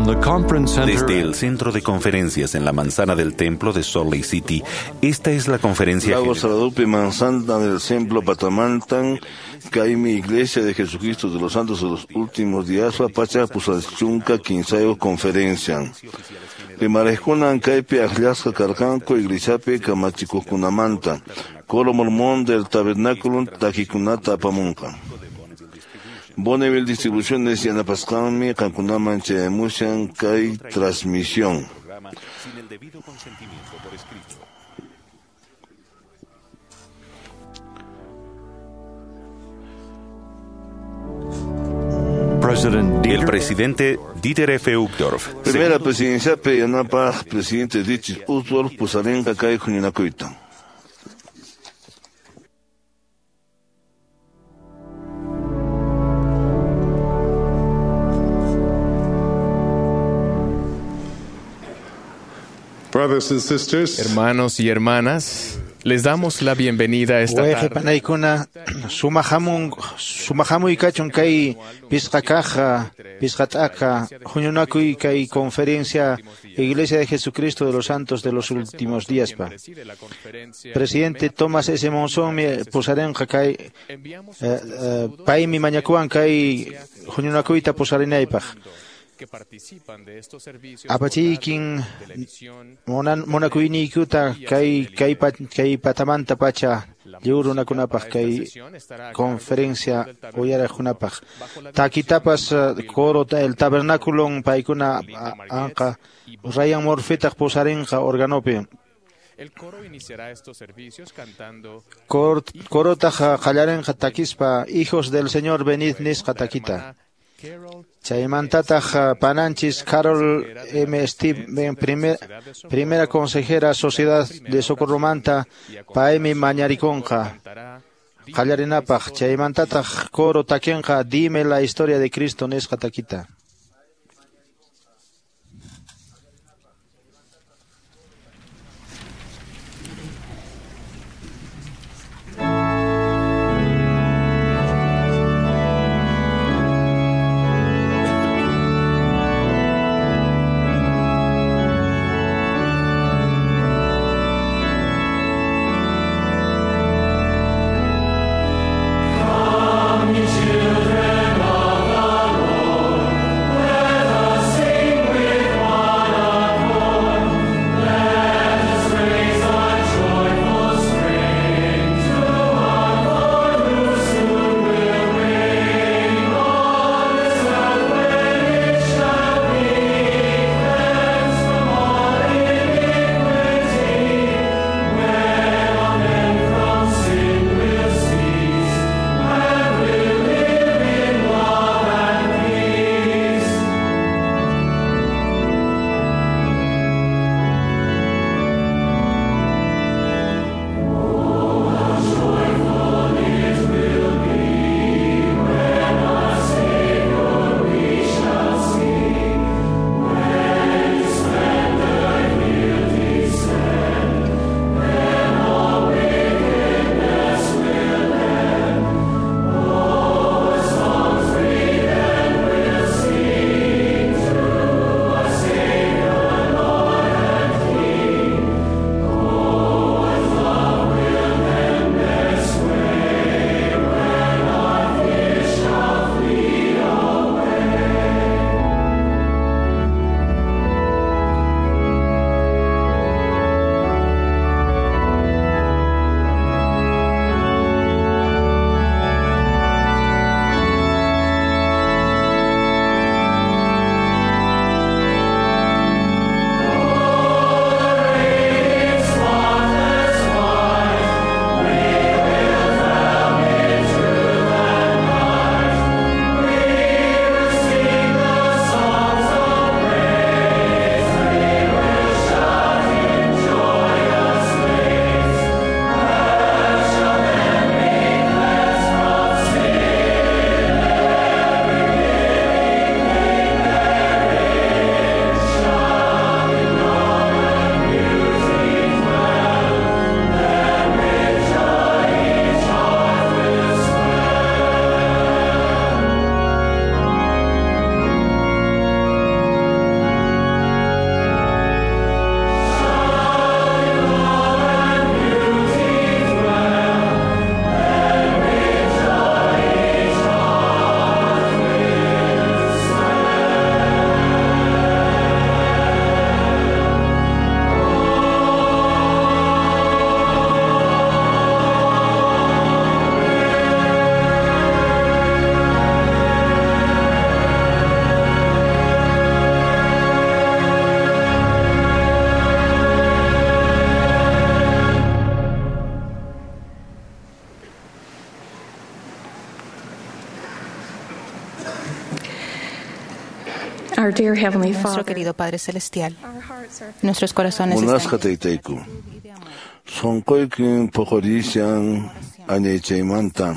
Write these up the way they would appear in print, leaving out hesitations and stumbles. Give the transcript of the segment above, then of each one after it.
Desde el Centro de Conferencias en la Manzana del Templo de Salt Lake City, esta es la conferencia Lago general. Saradupi Manzana del Templo Patamantan, Kaimi Iglesia de Jesucristo de los Santos de los Últimos Días, Pacha Pusalchunka Quinsayo Conferencia. Rimarejkunan kaypi akllasqa karqanku iglesiapi kamachikuqkunamanta. Coro Mormón del Tabernáculo takikunata apamunqa. Bonneville Distribuciones yanapasqanmi qamkunaman chayamushan kay transmisión. Sin el debido consentimiento por escrito. El presidente Dieter F. Uchtdorf. Primera presidenciapi yanapaq presidente Dieter Uchtdorf pusarinqa kay huñunakuyta. Brothers and sisters, Hermanos y hermanas, les damos la bienvenida a esta Wayqi tarde. panaykuna sumahamun sumahamuy kachun kay pisqa kaq pisqa t'aqa huñunakuy kay conferencia Iglesia de Jesucristo de los Santos de los Últimos Días pa. Presidente Thomas S. Monson pusarinqa kay paymi mañakuwan kay huñunakuyta pusarinaypaq. Apachiykin munakuyniykuta kay kay kay patamanta pacha lliw runakunapaq kay conferencia uyariqkunapaq. Takitapas coro el tabernáculo paykuna anqa Ryan Murphytaq pusarinqa organopi. El coro iniciará estos servicios cantando Corotaq qallarinqa takispa Hijos del Señor venid nisqa takita. Chaymantataq pananchis Carol M. Steven, primera consejera Sociedad de Socorromanta, paymi mañarikunqa qallarinapaq. Chaymantataq coro takinqa Dime la historia de Cristo nisqa takita. Come, ye children of the Lord. Our dear Heavenly Nuestro Father, querido Padre Celestial, nuestros corazones Munasqa están taytayku. Sunquykin puqurishan añaychaymanta.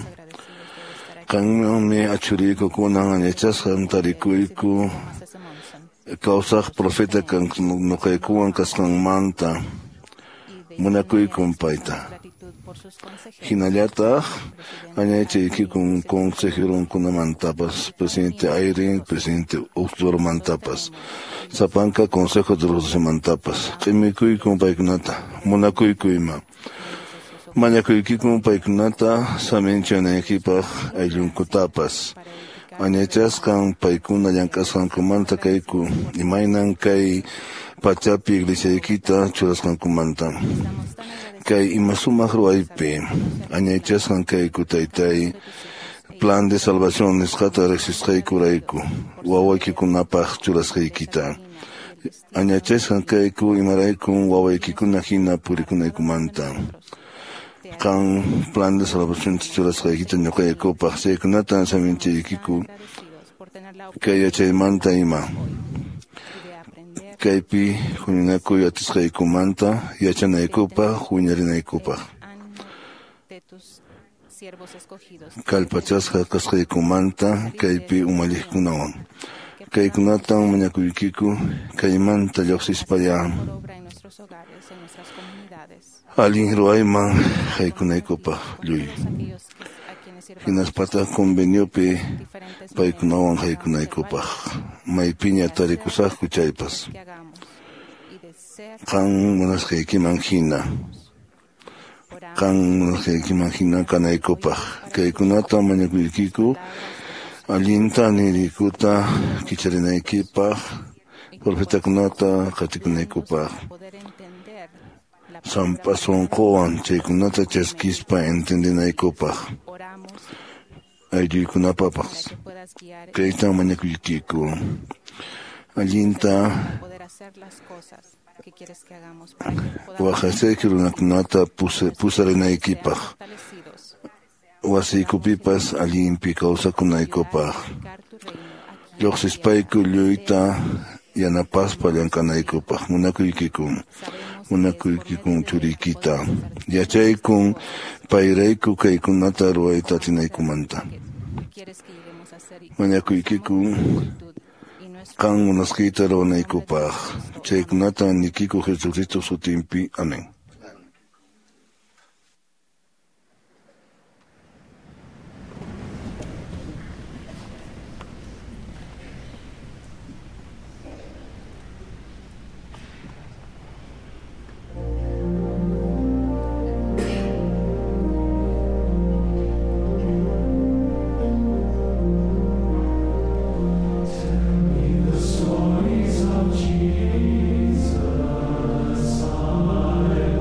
Qanmanmi achuriyku kunan añaychasqan tarikuyku kawsaq profeta kan nuqaykuwan kasqanmanta munakuykun payta. Hinallataq añaychaykikun consejeronkunamantapas, presidente Eyring, presidente Uchtdorfmantapas, sapanka consejo de los docemantapas, q'imikuykun paykunata, munakuyku ima. Mañakuykikun paykunata saminchanaykipaq ayllunkutapas. Añaychasqan paykuna llank'asqankumanta kayku, imaynan kay pachapi iglesiaykita churasqankumanta. Kay ima sumaq ruwaypi añaychasqan kayku taytay, plan de salvación nisqata riqsisqaykurayku, wawaykikunapaq churasqaykita. Añaychasqan kayku imaraykun wawaykikuna hina purikunaykumanta. Qan plan de salvación churasqaykita ñuqaykupaq, chaykunata saminchaykiku kay yachaymanta ima. Kaypi huñunakuy atisqaykumanta yachanaykupaq, huñarinaykupaq. Kallpachasqa kasqaykumanta kaypi umalliqkunawan. Kaykunatan mañakuykiku kaymanta lluqsispalla allin ruwayman haykunaykupaq lluy. Hinaspataq conveniopi paykunawan haykunaykupaq maypiña tarikusaqku chaypas. Qan munasqaykiman hina, qan munasqaykiman hina kanaykupaq. Kaykunata mañakuykiku allinta nirikuta kicharinaykipaq, profetakunata qatikunaykupaq. Sampa sunquwan chaykunata chaskispa entendinaykupaq. Aylluykunapaqpas kaytan mañakuykiku allinta waqasayki runakunata pusarinaykipaq, wasiykupipas allinpi kawsakunaykupaq, lluqsispayku lluyta yanapaspa llank'anaykupaq. Munakuykikun, munakuykikun churiykita, yachaykun payrayku kaykunata ruwayta atinaykumanta. Mañakuykikun qan munasqayta ruwanaykupaq. Chaykunata nikiku Jesucristo sutinpi. Amén. Stories of Jesus, I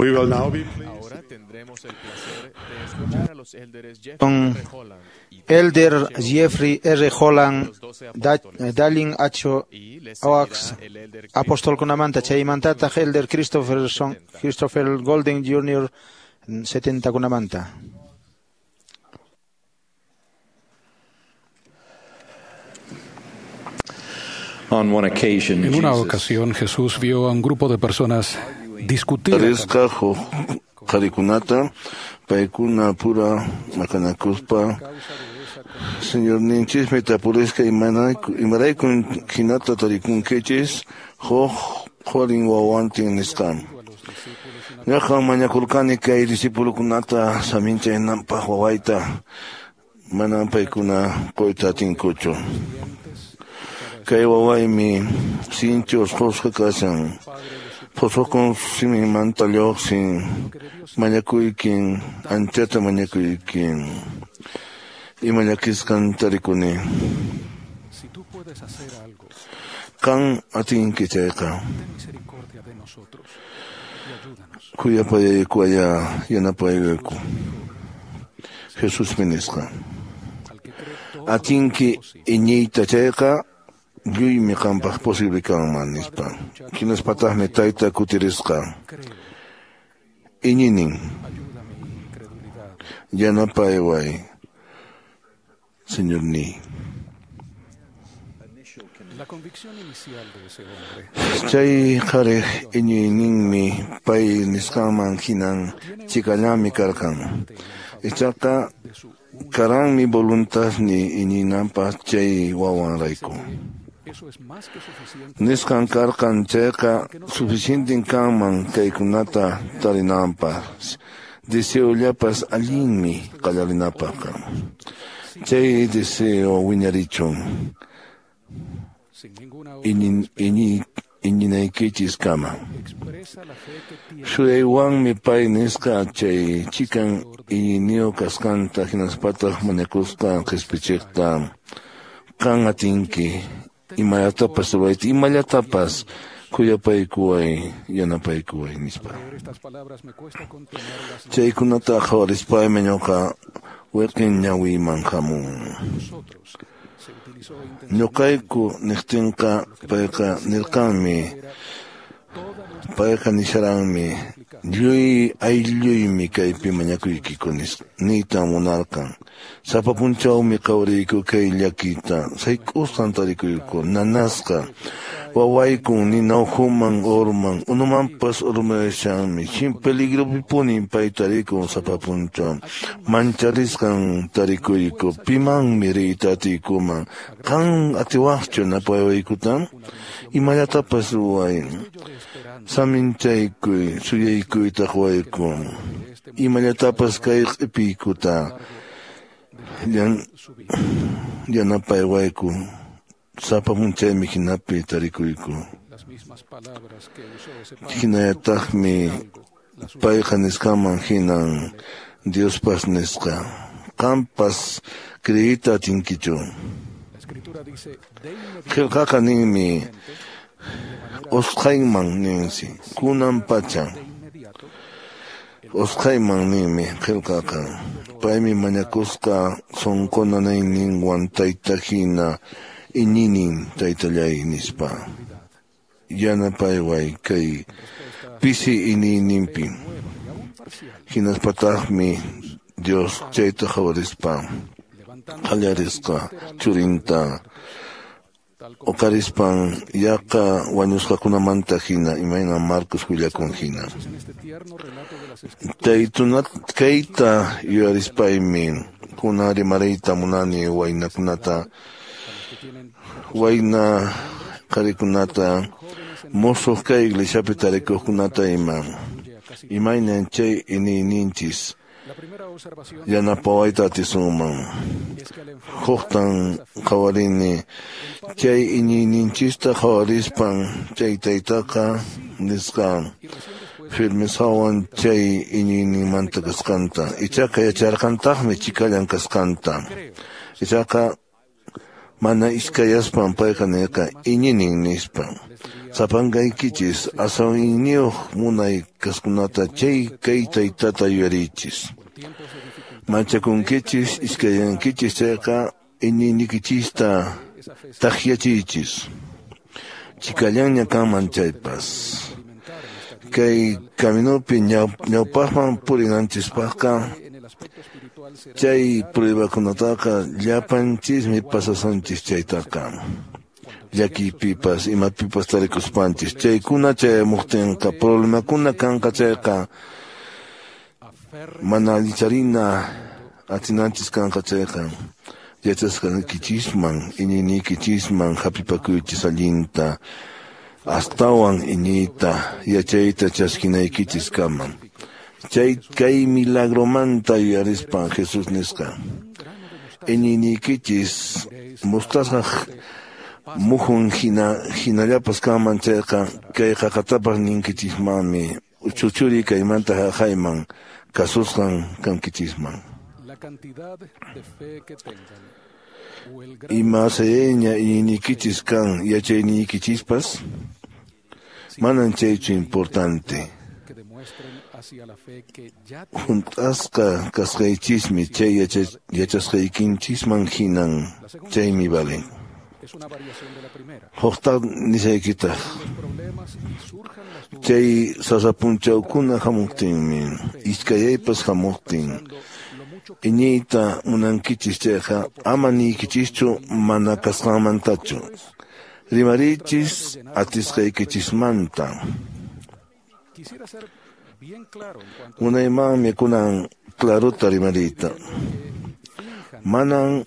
We will now be pleased. Con Elder Jeffrey R. Holland, Dallin H. Oaks, apostolkunamanta chaymantataq Elder Christopher Golden Jr. 70kunamanta. En una ocasión Jesús vio a un grupo de personas discutir. Tarisqa huk qharikunata paykuna pura maqanakuspa Señorninchismi tapurisqa imaraykun hinata tarikunkichis huk qhurin wawantin nisqa. Ñuqam mañakurqani kay discipulukunata saminchaynanpaq wawayta manam paykuna quyta atinkuchu. Kay wawaymi sinchi usqhusqa kashan. Phusukun siminmanta lluqsin mañakuykin anchata mañakuykin ima llakisqan tarikuni. Qan atinki chayqa khuyapayaykuwaya yanapayayku. Jesusmi nisqa atinki iñiyta chayqa lluymi qampaq posible kanman nispa. Hinaspataqmi tayta kutirisqa iñinin yanapayway Señorniy. Chay qhariq iñiyninmi pay nisqanman hinan chikallami karqan. Ichaqa karanmi voluntadni iñinanpaq chay wawanrayku. Nisqan karqan chayqa suficienten kanman kaykunata tarinanpaq. Deseollapas allinmi qallarinapaqqa. Chay deseo wiñarichun iñinaykichiskama. Suyaywanmi pay nisqa chay chikan iñiyniyuq kasqanta hinaspataq mañakusqa qispichiqta qan atinki imallatapas ruwayta imallatapas khuyapaykuway yanapaykuway nispa. Chaykunata qhawarispaymi ñuqa wiqin ñawiyman hamun. Ñuqayku niqtinqa payqa nirqanmi payqa nisharanmi lluy aylluymi kaypi mañakuykiku niyta munarqan. Sapa punchawmi qhawariyku kay llakita sayk'usqan tarikuyku nanasqa wawaykun nina ukhuman urman unumanpas urmayashanmi chin peligropipunin pay tarikun sapa punchaw mancharisqan tarikuyku pimanmi riyta atiykuman qan atiwaqchu napaywaykuta imallatapas ruway saminchaykuy suyaykuyta quwayku imallatapas kay q'ipiykuta yanapaywayku sapa punchaymi hinapi tarikuyku. Hinallataqmi payqa nisqanman hinan Diospas nisqa qampas creeyta atinkichu. Qillqaqa ninmi usqhayman ninsi kunan pacha usqhayman ninmi qillqaqa paymi mañakusqa sunqu nanayninwan tayta hina iñinin taytallay nispa yanapayway kay pisi iñiyninpi. Hinaspataqmi Dios chayta qhawarispa qallarisqa churinta uqarispan yaqa wañusqakunamanta hina imayna Marcos willakun hina. Kayta yuyarispaymi kunan rimariyta munani waynakunata wayna qharikunata musuq kay iglesiapi tarikuqkunata ima imaynan chay iñiyninchis yanapawayta atisunman. Huktan qhawarini chay iñiyninchista qhawarispan chay taytaqa nisqa firmesawan chay iñiyninmanta kasqanta ichaqa yacharqantaqmi chikallan kasqanta ichaqa Mana iskayaspan payqa nirqa iñinin nispa. Sapankaykichis aswan iñiyuq munay kasqunata chay kay taytata yuyariychis. Manchakunkichis iskayankichis chayqa iñiynikichista takyachiychis. Chikallanña kanman chaypas. Kay caminopi ñawpaqman purinanchispaqqa chay pruebakunataqa llapanchismi pasasunchis chaytaqa. Llakipipas imapipas tarikuspanchis chaykuna chayamuqtinqa problemakuna kanqa chayqa mana allicharina atinanchis kanqa chayqa yachasqaykichisman iñiyniykichisman hap'ipakuychis allinta astawan iñiyta yachayta chaskinaykichis kaman. Chay kay milagromanta yuyarispan Jesús nisqa iñiyniykichis mostaza muhun hinallapas kanman chayqa kay qaqatapas ninkichismanmi chuchuri kaymanta haqayman kasusqan kankichisman. Ima sayayña iñiynikichis kan yachayniykichispas manan chaychu importante. Hunt'asqa kasqaychismi chay yachasqaykinchisman hinan chaymi valen. Huqta nisaykitaq chay sasapunchawkuna hamuqtinmi iskayaypas hamuqtin iñiyta munankichis chayqa ama niykichischu mana kasqanmantachu rimariychis atisqaykichismanta. Munaymanmi kunan clarota rimariyta. Manan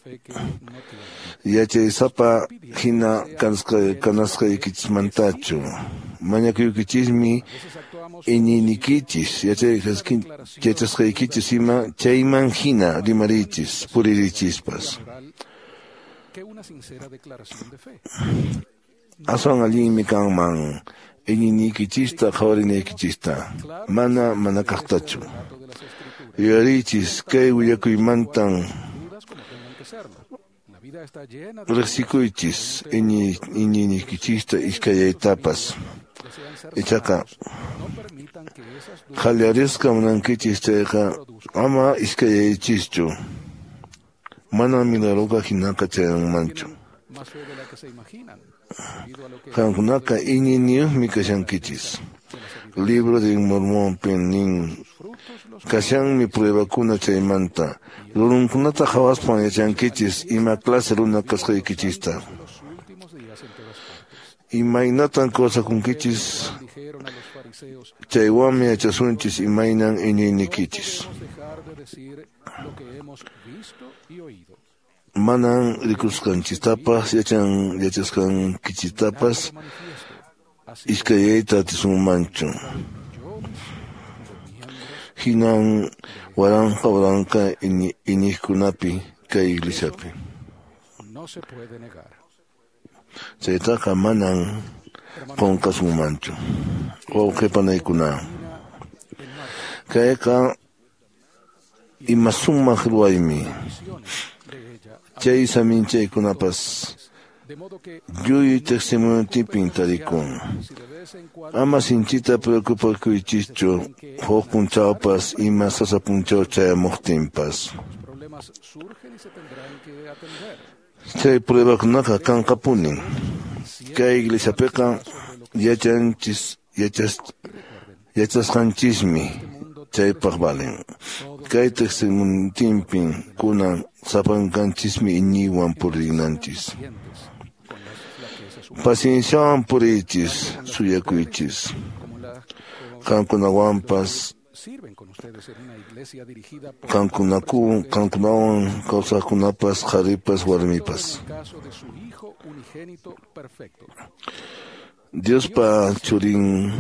yachaysapa hina kanasqaykichismantachu. Mañakuykichismi iñiynikichis yachasqaykichis ima chayman hina rimariychis puririchispas. Aswan allinmi kanman iñiynikichista qhawarinaykichista mana mana kaqtachu. Yuyariychis kay willakuymantan riqsikuychis iñiynikichista iskayaytapas. Ichaqa qhallarisqa munankichis chayqa ama iskayaychischu. Mana milagroqa hinaqa chayanmanchu. Qamkunaqa iñiyniyuqmi kashankichis. Libro de Mormonpi nin kashanmi pruebakuna chaymanta. Rurunkunata qhawaspan yachankichis ima clase runa kasqaykichista. Imaynatan kawsakunkichis chaywanmi yachasunchis imaynan iñiynikichis. Manan rikusqanchistapas yachasqankichistapas iskayayta atisunmanchu. Hinan waranqa waranqa iñiqkunapi kay iglesiapi. Chaytaqa manan qunqasunmanchu. Wawqi panaykuna, kayqa ima sumaq ruwaymi. Chay saminchaykunapas lluy testimoniontipin tarikun. Ama sinchita preocupakuychischu huk punchawpas ima sasa punchaw chayamuqtinpas. Chay pruebakunaqa kanqapunin. Kay iglesiapiqa yachasqanchismi chaypaq valen. Kay testimoniontipin kunan sapankanchismi iñiywan purinanchis. Pacienciawan puriychis, suyakuychis. Qamkunawanpas qamkunawan kawsaqkunapas qharipas warmipas. Diospa churin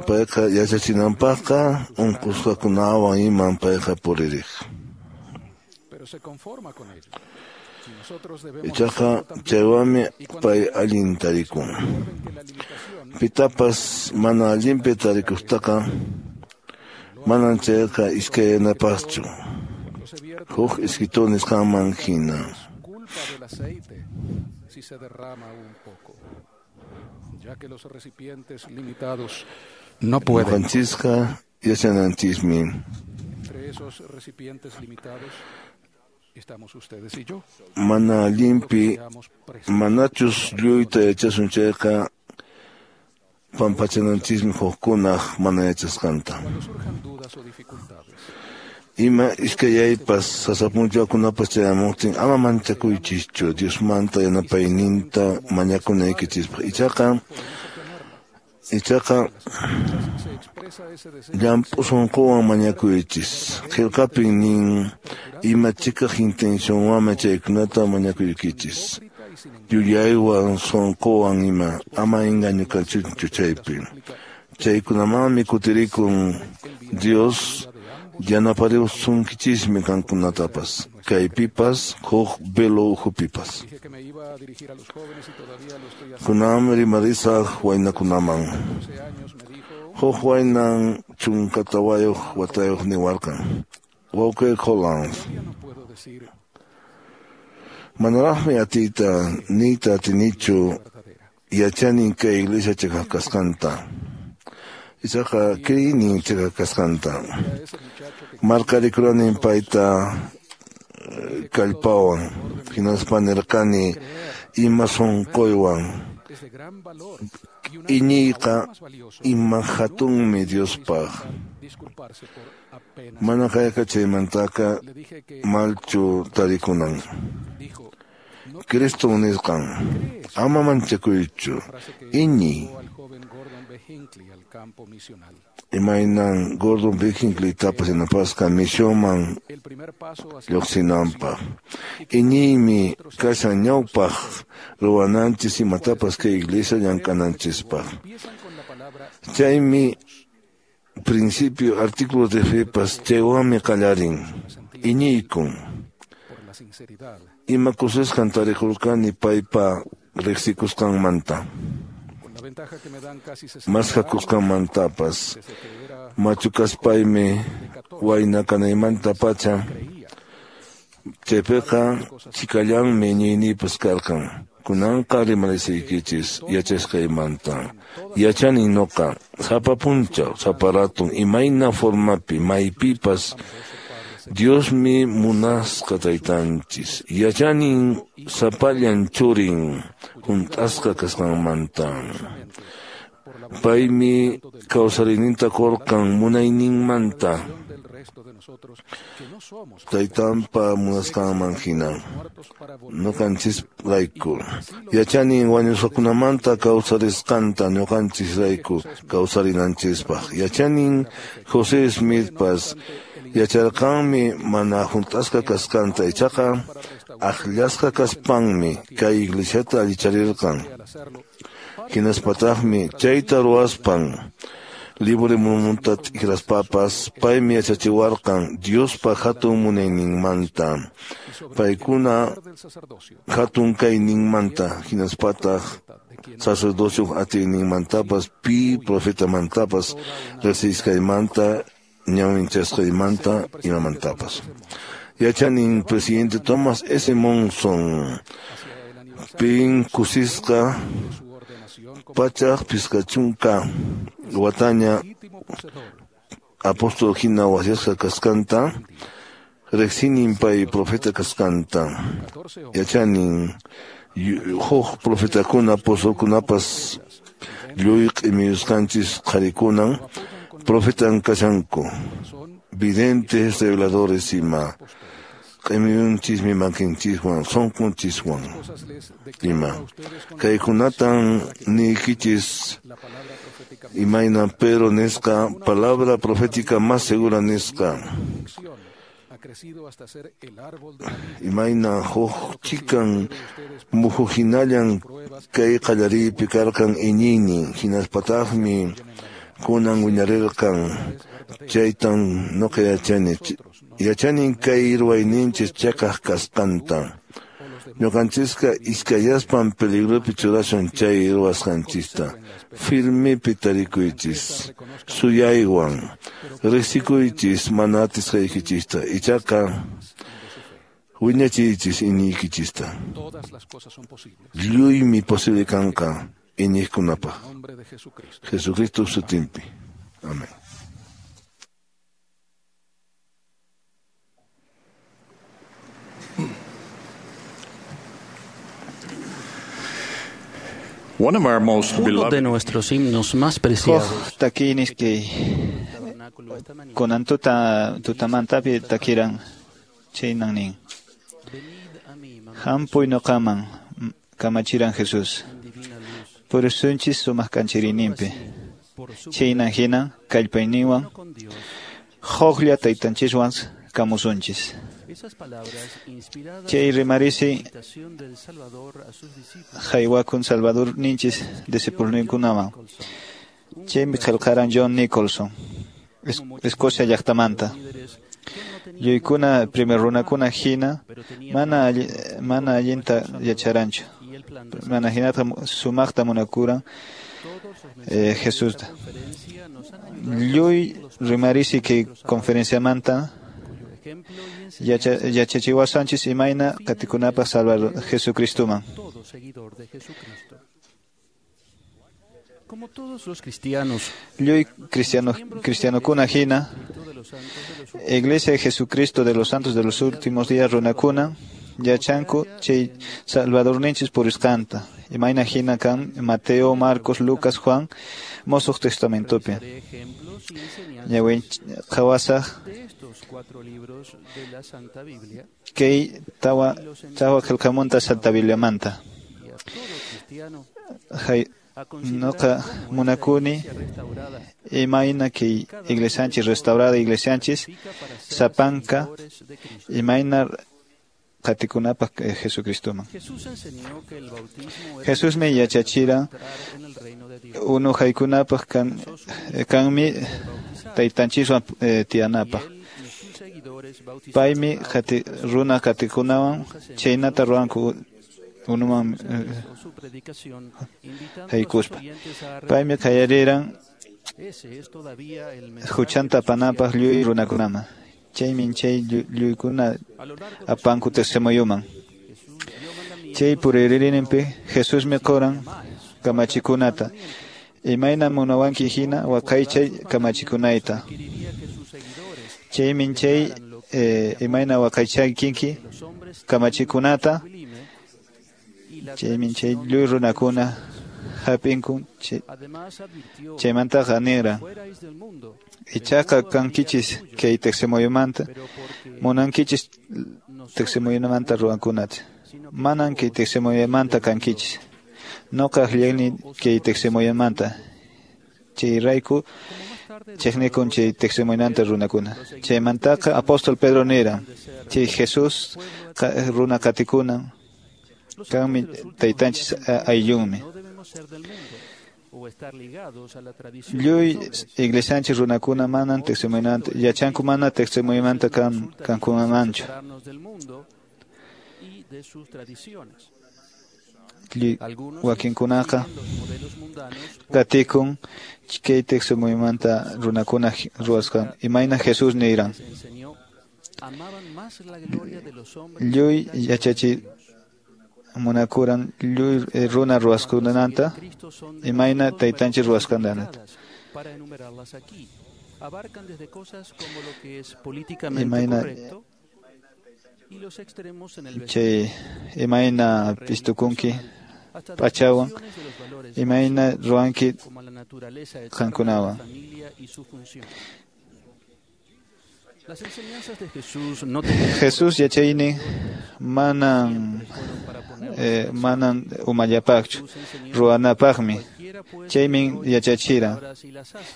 payqa yachachinanpaqqa unqusqakunawan iman payqa puririq. Ichaqa chaywanmi pay allin tarikun. Pitapas mana allinpi tarikuqtaqa manan chayqa iskayanapaqchu. Huk escritor nisqanman hina. Culpa del aceite si se derrama un poco, ya que los recipientes limitados no pueden. Ñuqanchisqa yachananchismi. Entre esos recipientes limitados estamos ustedes y yo. Mana allinpi manachus lluyta yachasun chayqa pampachananchismi hukkunaq mana yachasqanta. Cuando surjan dudas o dificultades, Ima iskayaypas sasapunchakunapas chayamuqtin ama manchakuychischu Diosmanta yanapayninta mañakunaykichispaq. Ichaqa se expresa ese deseo llamp'u sunquwan mañakuychis. Qillqapin nin ima chikaq intencionwanmi chaykunata mañakuykichis. Yuyaywan sunquwan ima ama engañukasunchu chaypi. Chaykunamanmi kutirikun Dios yanapariwasunkichismi qankunatapas, kaypipas huk velo ukhupipas. Dije que me iba a dirigir a los jóvenes y todavía lo estoy haciendo. Kunanmi rimarisaq waynakunaman. 12 años me dijo, Huk waynan 14 watayuq niwarqan. Wawqi Holland, todavía no puedo decir manaraqmi atiyta niyta atinichu verdadera. yachanin kay iglesia chiqaq kasqanta. Ichaqa kriynin chiqaq kasqanta. A ese muchacho que Markarikuranin payta kallpawan, hinaspa nirqani ima sunquywan. es de gran valor y un Iñiyqa aún más valioso ima hatunmi Diospaq. disculparse por apenas. Mana kayqa chaymantaqa Le dije que malchu tarikunan. dijo, no Cristo nisqan, ama manchakuychu, frase que iñiy. llevó al joven Gordon B. Hinckley al campo misional. Imaynan Gordon B. Hinckleytapas yanapasqa misionman El primer paso hacia lluqsinanpaq. Iñiymi kashan ñawpaq ruwananchis imatapas kay iglesia llank'ananchispaq. empiezan con la palabra Chaymi principio artículos de fe pas chaywanmi qallarin. Iñiykun. por la sinceridad, Ima kusisqan tarikurqani paypa riqsikusqanmanta, con la ventaja que me dan casi 60 años masqakusqanmantapas. desde que era Machu kaspaymi wayna kanaymantapacha creía. chaypiqa chikallanmi iñiyniypas karqan. Kunanqa rimarisaykichis yachasqaymanta. Yachani nuqa sapa punchaw, sapa ratun, imayna formapi, maypipas Diosmi munasqa taytanchis. Yachanin sapallan churin hunt'asqa kasqanmanta. Paymi kawsariyninta qurqan munayninmanta. Del resto de nosotros que no somos Taytanpa munasqanman hina. muertos para volver Ñuqanchisrayku. Yachanin wañusqakunamanta kawsarisqanta ñuqanchisrayku kawsarinanchispaq. Yachanin José Smithpas yacharqanmi mana hunt'asqa kasqanta ichaqa akllasqa kaspanmi kay iglesiata allicharirqan. al hacerlo. Hinaspataqmi chayta ruwaspan libre Mormonta t'ikraspapas paymi yachachiwarqan Diospa hatun munayninmanta. Paykuna Del sacerdocio, hatun kayninmanta hinaspataq sacerdocio atiyninmantapas pi profetamantapas riqsisqaymanta ñawinchasqaymanta imamantapas. Yachanin presidente Thomas S. Monson pin kusisqa de su ordenación como 150 wataña legítimo poseedor apóstol hina wasyasqa kasqanta riqsinin pay profeta kasqanta. 14 hombres Yachanin huk profetakuna apostolkunapas lluy q'imiyusqanchis qharikunan profetan kashanku son videntes reveladores ima q'imiyunchismi makinchiswan sunqunchiswan cosas les declaro ima a ustedes con kaykunatan niykichis la palabra profética imayna Pedro nisqa palabra profética más segura nisqa convicción ha crecido hasta ser el árbol de la vida. Imayna huk chikan muhu hinallan kay qallariypi karqan iñiynin hinaspataqmi kunan wiñarirqan chaytan nuqa yachani. Yachanin kay ruwayninchis chakaq kasqanta. Ñuqanchisqa iskayaspan peligropi churashun chay ruwasqanchista. Firmepi tarikuychis, suyaywan, riqsikuychis mana atisqaykichista, ichaqa wiñachiychis iñiykichista. Lluymi posible kanqa iñiqkunapaq. Jesucristo sutinpi. Amén. Uno de nuestros himnos más preciados. Takinis kay kunan tuta tutamantapi takiran chaynan nin. Hampuy noqaman kamachiran Jesús. Purisunchis sumaq kanchirininpi. Chaynan hinan kallpayninwan huklla taytanchiswan kamusunchis. Chay rimarisi haywakun Salvador ninchis discipulninkunaman. Chaymi qillqaran John Nicholson, Escocia llaqtamanta. Lluykuna primer runakuna hina mana allinta yacharanchu. Mana hinata sumaqta munakuran Jesusta. Lluy rimarisi kay conferenciamanta yachachiwasanchis imayna qatikunapaq Salvador Jesucristoman. Lluy cristianokuna hina, Iglesia de Jesucristo de los Santos de los Últimos Días runakuna yachanku chay Salvadorninchis purisqanta. Imayna hina kan Mateo, Marcos, Lucas, Juan, Mosuq Testamentopi. Ñawin qhawasaq kay tawa qillqamunta Santa Bibliamanta. Noqa munakuni imayna kay iglesianchis restaurada iglesianchis sapanka imayna qatikunapaq Jesucristoman. Jesusmi yachachiran unu haykunapaq kanmi taytanchiswan tiyanapaq. Paymi runa qatikunawan chaynata ruwanku unuman haykuspa. Paymi qallariran huchanta apanapaq lluy runakunaman. Chaymi chay lluykuna apanku testimonioman. Chay puririninpi Jesusmi quran kamachikunata. Imayna munawanki hina waqaychay kamachikunayta. Chaymi chay imayna waqaychankinki kamachikunata. Chaymi chay lluy runakuna hap'inku chaymantaqa niran. Ichaqa kankichis kay tiqsimuyumanta munankichis tiqsimuyumanta ruwankunata. Manan kay tiqsimuyumanta kankichis. Noqa akllani kay tiqsimuyumanta. Chayrayku chiqnikun chay tiqsimuyunanta runakuna. Chaymantaqa apóstol Pedro niran chay Jesús runa qatikunan kanmi taytanchis ayllunmi. Lluy iglesianchis runakuna manan tiqsimuyunanta yachanku mana tiqsimuyumanta kankumanchu. Lluy wakinkunaqa qatikun kay tiqsimuyumanta runakuna ruwasqan imayna Jesús niran. Lluy yachachi munakuran lluy runa ruwasqananta imayna taytanchis ruwasqananta. Imayna chay imayna pistukunki p'achawan imayna ruwanki qankunawan. Jesús yachaynin manan umallapaqchu ruwanapaqmi. Chaymi yachachiran.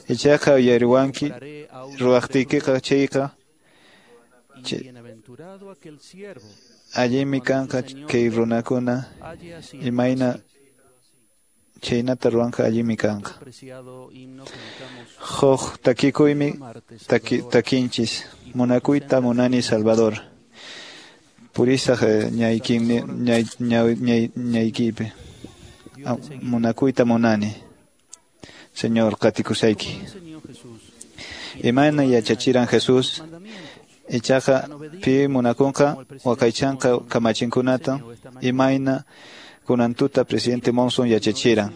Ichaqa uyariwanki ruwaqtiykiqa chayqa allinmi kanqa kay runakuna imayna chaynata ruwanqa allinmi kanqa. Huk takikuymi takinchis munakuyta munani Salvador. Purisaq ñaykipi. Munakuyta munani. Señor, qatikusayki. Imayna yachachiran Jesús, ichaqa pi munakunqa waqaychanqa kamachinkunata, imayna kunan tuta presidente Monson yachachiran.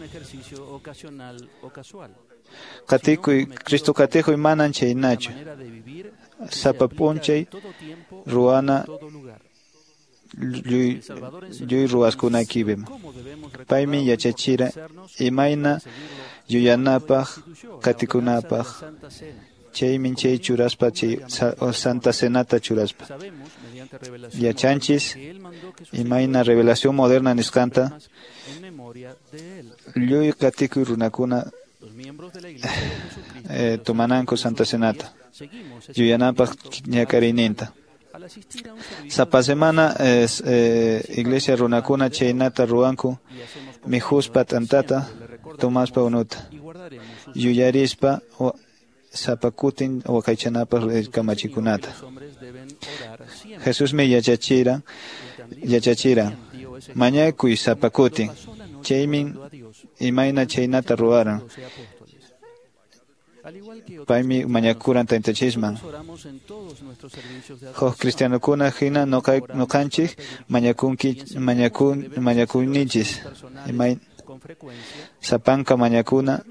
Qatikuy, Cristo qatikuy manan chaynachu. Sapa p'unchay ruwana lluy ruwaskunaykipim. Paymi yachachira imayna yuyanapaq, qatikunapaq. Chaymi chay churaspa, chay Santa Cenata churaspa. Yachanchis imayna revelación moderna nisqanta lluy qatikuy runakuna tomananku Santa Cenata yuyanapaq ñak'ariyninta. Sapa semana iglesia runakuna chaynata ruwanku mikhuspa t'antata, tomaspa unuta, yuyarispa sapa kutin waqaychanapaq kamachikunata. Jesusmi yachachiran mañakuy sapa kutin, chaymi imayna chaynata ruwaran. Paymi mañakuran taytanchisman. Huk cristianokuna hina noqanchik mañakuyninchis. Sapanka mañakuna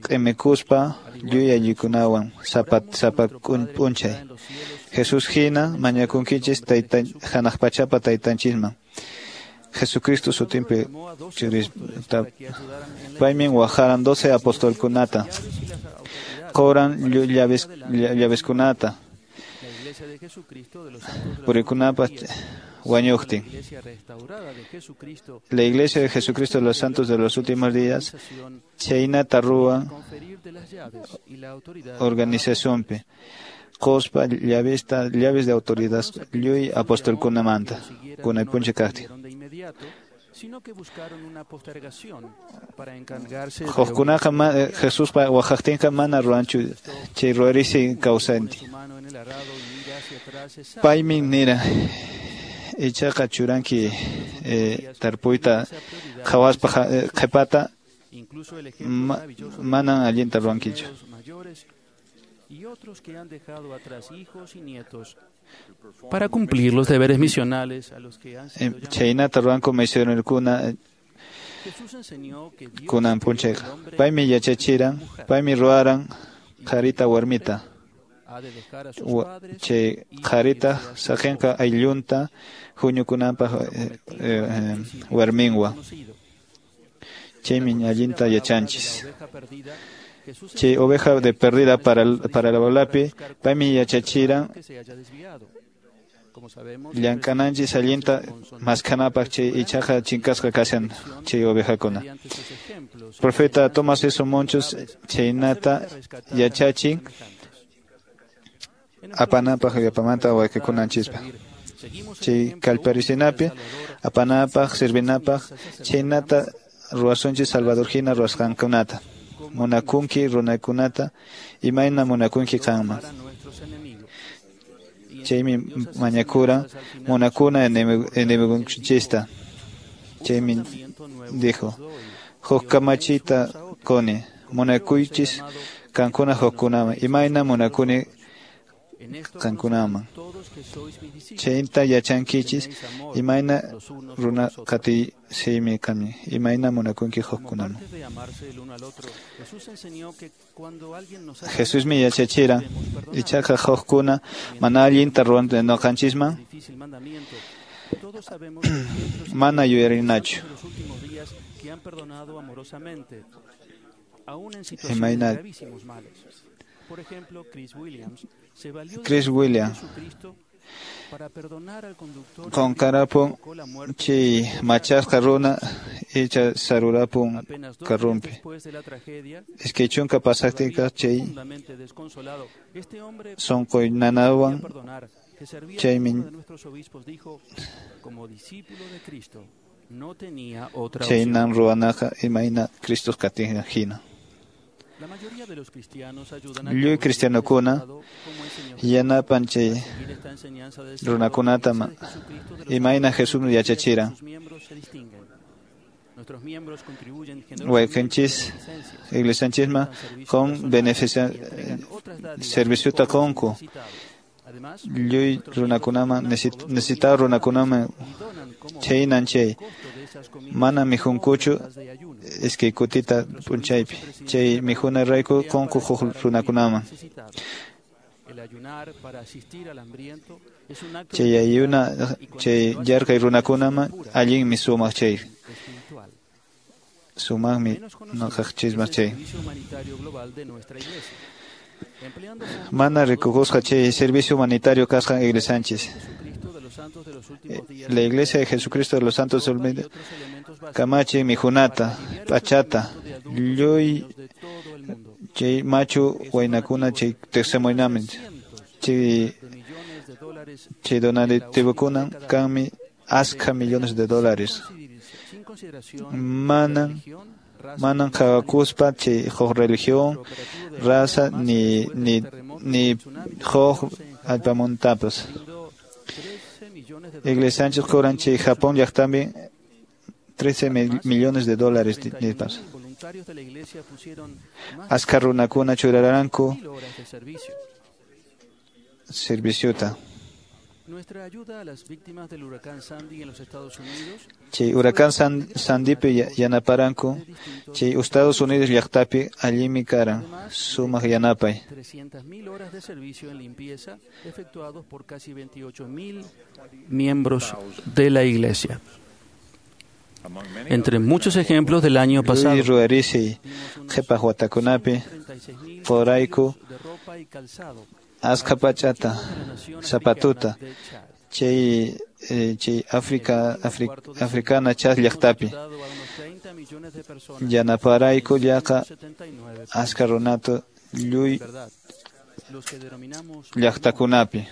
q'imikuspa lluy aylluykunawan sapa p'unchay. Jesús hina mañakunkichis hanaq pachapa taytanchisman. Jesucristo sutinpi paymi wajaran 12 apostolkunata, qoran llaveskunata purikunapaq wañuqtin. La Iglesia de Jesucristo de los Santos de los Últimos Días chaynata ruwan organizacionpi qospa llaves de autoridad lluy apostolkunamanta kunay p'unchay kaqtin. Hukkunaqa Jesuspa waqaqtinqa mana ruwanchu chay ruwarisi kawsanti. Paymi nira ichaqa churanki tarpuyta qhawaspa qhipata manan allinta ruwankichu. Para cumplir los deberes misionales a los que han sido llamados. Chaynata ruwanku misionerokuna kunan p'unchayqa. Paymi yachachiran, paymi ruwaran qharita warmita. Chay qharita saqinqa ayllunta huñukunanpaq warminwan. Chaymi allinta yachanchis. Chay oveja de perdida para la bolapi, paymi yachachiran llank'ananchis allinta maskhanapaq chay ichaqa chinkasqa kashan chay ovejakuna. Profeta Thomas S. Monson chaynata yachachin apanapaq yapamanta wayqikunanchispa. Chay kallparisinapi apanapaq servinapaq chaynata ruwasunchis Salvador hina ruwasqankunata. Munakunki runakunata imayna munakunki qanman. Chaymi mañakura munakuna enemigunchista. Chaymi dijo, huk kamachita quni, munakuychis qankuna hukkunaman, imayna munakuni qankunaman. Chayta yachankichis imayna runa qatisiymi kani, imayna munakunki hukkunaman. Jesusmi yachachiran ichaqa hukkuna mana allinta ruwan noqanchisman mana yuyarinachu. Imayna Chris Williams qunqarapun chay machasqa runa icha sarurapun karrunpi. Iskay chunka pasaqtinqa chay sunquy nanawan chaymi chaynan ruwanaqa imayna Cristo qatin hina. Lliw cristianokuna yanapan chay runakunata imayna Jesús yachachiran. Wayqinchis iglesianchisman qun beneficia serviciota qunku. Lliw runakunaman necesitado runakunaman chaynan chay mana mikhunkuchu iskay kutita p'unchaypi chay mikhuna rayku qunku huk runakunaman. Chay ayuna chay yarqay runakunaman allinmi sumaq chay sumaqmi nuqaqchisman chay. Mana rikukusqa chay servicio humanitario kasqan iglesianchis. La Iglesia de Jesucristo de los Santos del kamachi mikhunata, p'achata, lluy chay machu waynakuna chay tiqsimunaman chay donativokunan kanmi askha millones de dólares. Manan qhawakuspa chay huk religión, raza ni huk allpamantapas. Iglesianchis cobran chay Japón llaqtapi 13 millones de dólares nispas. Askha runakuna churaranku serviciota. Chay huracán Sandypi yanaparanku chay Estados Unidos llaqtapi allinmi karan sumaq yanapay. 300.000 horas de servicio en limpieza efectuados por casi 28.000 miembros de la iglesia. Entre muchos ejemplos del año pasado, Lluy ruwarisi qhipaq watakunapi qurayku askha p'achata, zapatuta chay Africa africana Chad llaqtapi yanaparayku llaqa askha runata lluy llaqtakunapi.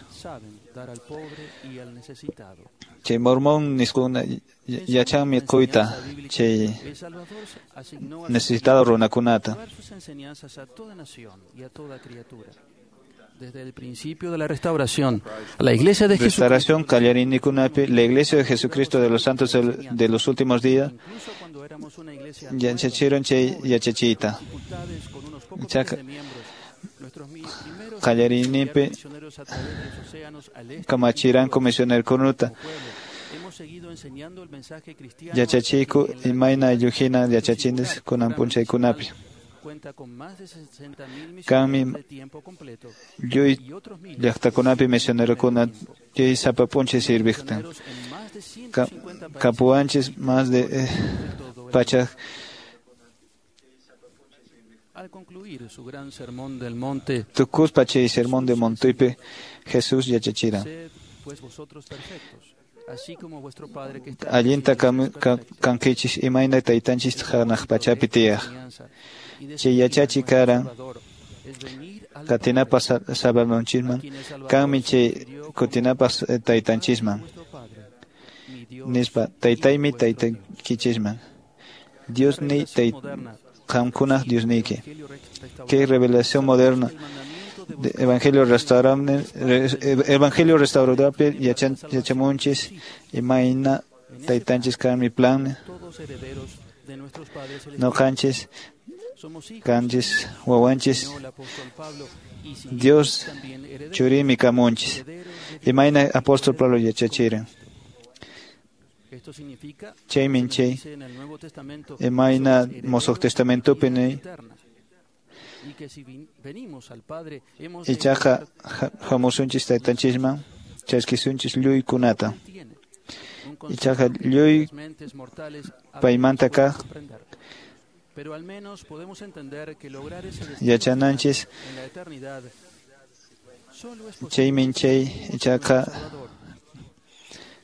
Chay mormón nisquna yachanmi quyta chay necesitado runakunata. Desde el principio de la restauración, la Iglesia de Restauración qallariyninkunapi, la Iglesia de Jesucristo de los Santos de los últimos días yachachiran chay yachachiyta. Ichaqa qallariyninpi kamachiranku misionerokunata yachachiyku imayna aylluhina yachachinchis kunan p'unchaykunapi. Kanmi lluy llaqtakunapi misionerokuna chay sapa p'unchay sirviqtin. Kapuwanchis más de pachaq. Tukuspa chay sermón de Montipi Jesús yachachiran. Allinta kankichis imayna taytanchis hanaq pachapi tiyaq. Chay yachachi karan qatinapaq salvadonchisman kanmi chay kutinapaq taytanchisman. Nispa taytaymi taytaykichisman. Diosniy qamkunaq Diosniyki. Qué revelación moderna. De Evangelio restauradorpi yachamunchis imayna taytanchis kanmi plan noqanchis kanchis wawanchis Dios churimi kamunchis imayna apóstol Pablo yachachiran. Chaymin chay imayna Mosoq Testamentopi niy ichaqa hamusunchis taytanchisman chaskisunchis lluykunata. Ichaqa lluy paymanta kaq yachananchis chaymin chay ichaqa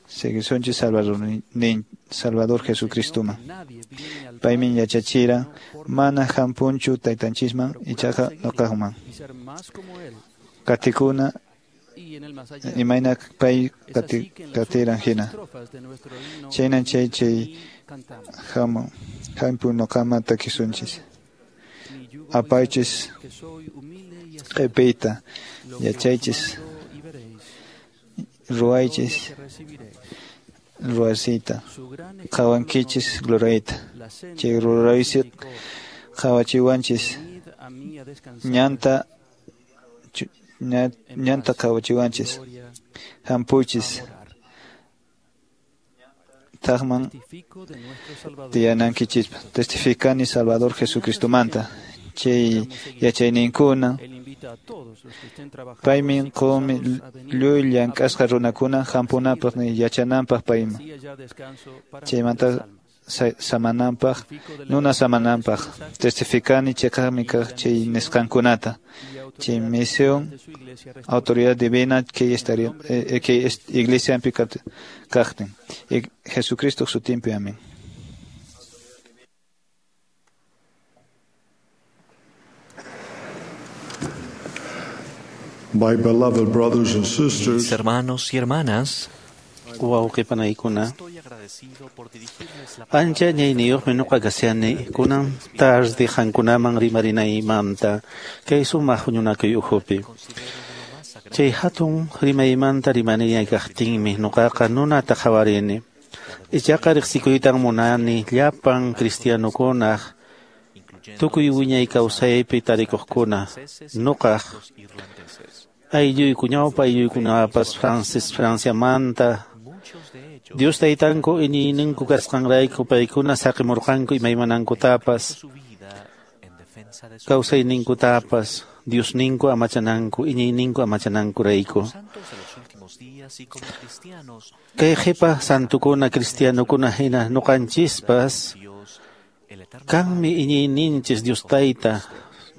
seguisunchis Salvador Jesucristuman. Paymin yachachira mana hampunchu taytanchisman ichaqa nuqaqman. Qatikuna imayna pay qatiran hina. Chaynan chay chay hamu hampu nuqaman takisunchis. Apaychis q'ipiyta, yachaychis, ruwaychis ruwasiyta, qhawankichis gloriayta. Chay ruraysi qhawachiwanchis ñanta ñanta qhawachiwanchis. Hampuychis thakman tiyanankichispaq. Testificani Salvador Jesucristomanta. Chay yachayninkuna paymi qunmi lluy llank'asqa runakuna hampunapaq yachananpaq payman. Chaymanta samananpaq, nuna samananpaq. Testificani chiqaqmi kaq chay nisqankunata. Chay misión, autoridad divina kay iglesianpi kaqtin. Jesucristo sutinpi, amén. My beloved brothers and sisters, mis hermanos y hermanas, wawqipanaykuna, ancha ñayniyuqmi ñuqa kashani kunan tarde qankunaman rimarinaymanta kay sumaq huñunakuy ukhupi. Chay hatun rimaymanta rimarinay kaqtinmi ñuqaqa nunata qhawarini. Ichaqa riqsikuytan munani llapan cristianokunaq tukuy wiñay kawsaypi tarikuqkuna ñuqaq aylluyku ñawpa aylluykunapas Franciamanta Dios taytanku iñiyninku kasqanrayku paykuna saqimurqanku imaymanankutapas kawsayninkutapas Diosninku amachananku iñiyninku amachanankurayku. Kay qhipa santukuna cristianokuna hina ñuqanchispas kanmi iñiyninchis Dios tayta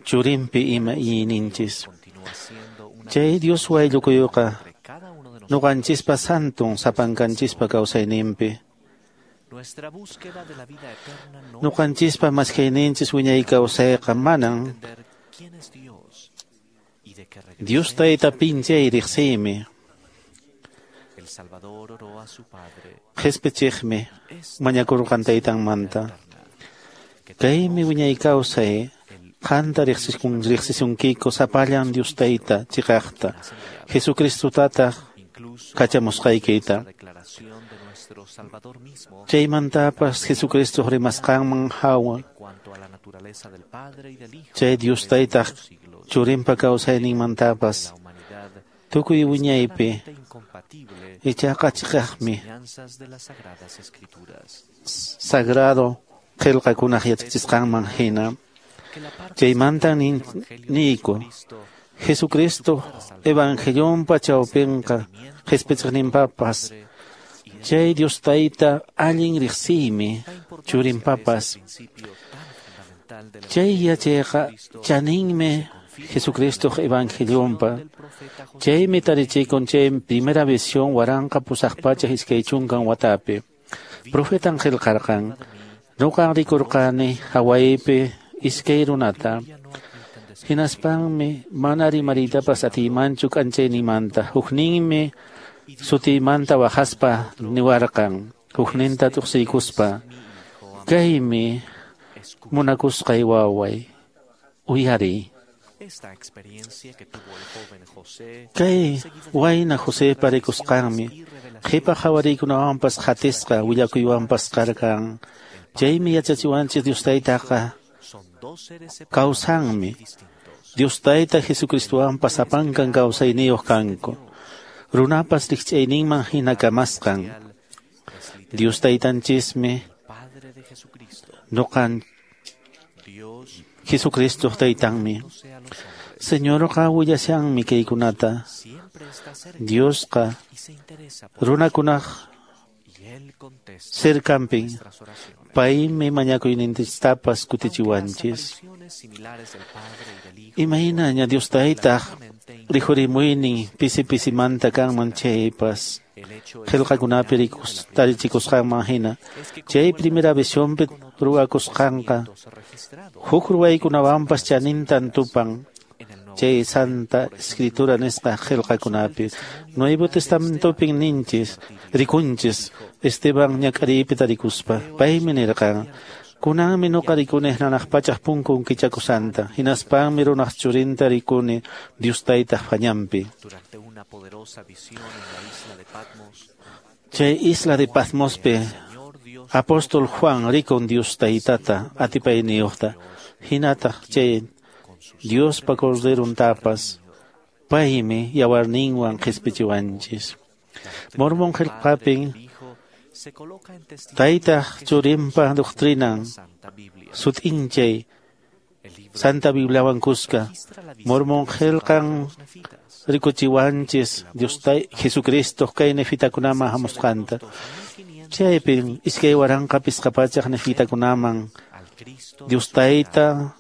churinpi ima iñiyninchis. Chay Dios wayllukuyuqa ñuqanchispa santun sapankanchispa kawsayninpi. Ñuqanchispa maskayninchis wiñay kawsayqa manan Dios tayta pinchay riqsiymi. Qhispichiqmi mañakurqan taytanmanta. Kaymi wiñay kawsay qanta riqsisunkiku sapallan Dios tayta chiqaqta Jesucristotataq kachamusqaykita. Chaymantapas Jesucristo rimasqanman hawa chay Dios taytaq churinpa kawsayninmantapas tukuy wiñaypi ichaqa chiqaqmi sagrado qillqakunaq yachachisqanman hina. Chaymanta niyku Jesucristo evangelionpa chawpinqa qhispichiqninpapas chay Dios tayta allin riqsiymi churinpapas. Chay yachayqa chaninmi Jesucristo evangelionpa. Chaymi tarichikun chay primera visión 1820 watapi. Profetan qillqarqan ñuqan rikurqani Hawaiipi iskay runata. Hinaspanmi mana rimariytapas atiymanchu k'anchaynimanta. Hukninmi sutiymanta waqaspa niwarqan, hukninta tuqsiykuspa: Kaymi munakusqay waway, uyariy. Kay wayna Josepa rikusqanmi qhipa qhawariykunawanpas qatisqa willakuywanpas karqan. Chaymi yachachiwanchis Dios taytaqa kawsanmi. Dios tayta Jesucristowanpas sapankan kawsayniyuq kanku. Runapas rikch'ayninman hina kamasqan. Dios taytanchismi ñuqan Jesucristo taytanmi. Señorqa willashanmi kaykunata. Diosqa runakunaq cercanpin paymi mañakuyninchistapas kutichiwanchis. Imaynaña Dios taytaq rikhurimuynin pisi pisimanta kanman chaypas qillqakunapi tarichikusqanman hina chay primera visionpi ruwakusqanqa huk ruwaykunawanpas chanintan tupan chay Santa Escritura nisqa qillqakunapi. Nuevo Testamentopin ninchis rikunchis Esteban ñak'ariypi tarikuspa paymi nirqan: Kunanmi nuqa rikuni hanaq pachaq punkun kichakusanta, hinaspanmi runaq churinta rikuni Dios taytaq pañanpi. Chay isla de Patmospi apóstol Juan rikun Dios taytata atipayniyuqta, hinataq chay Diospa Corderuntapas, paymi yawarninwan qhispichiwanchis. Mormon qillqapin taytaq churinpa doctrinan sut'inchay Santa Bibliawan kuska. Mormon qillqan rikuchiwanchis Dios Jesucristo kay nefitakunaman hamusqanta. Chaypin 2005 nefitakunaman Dios tayta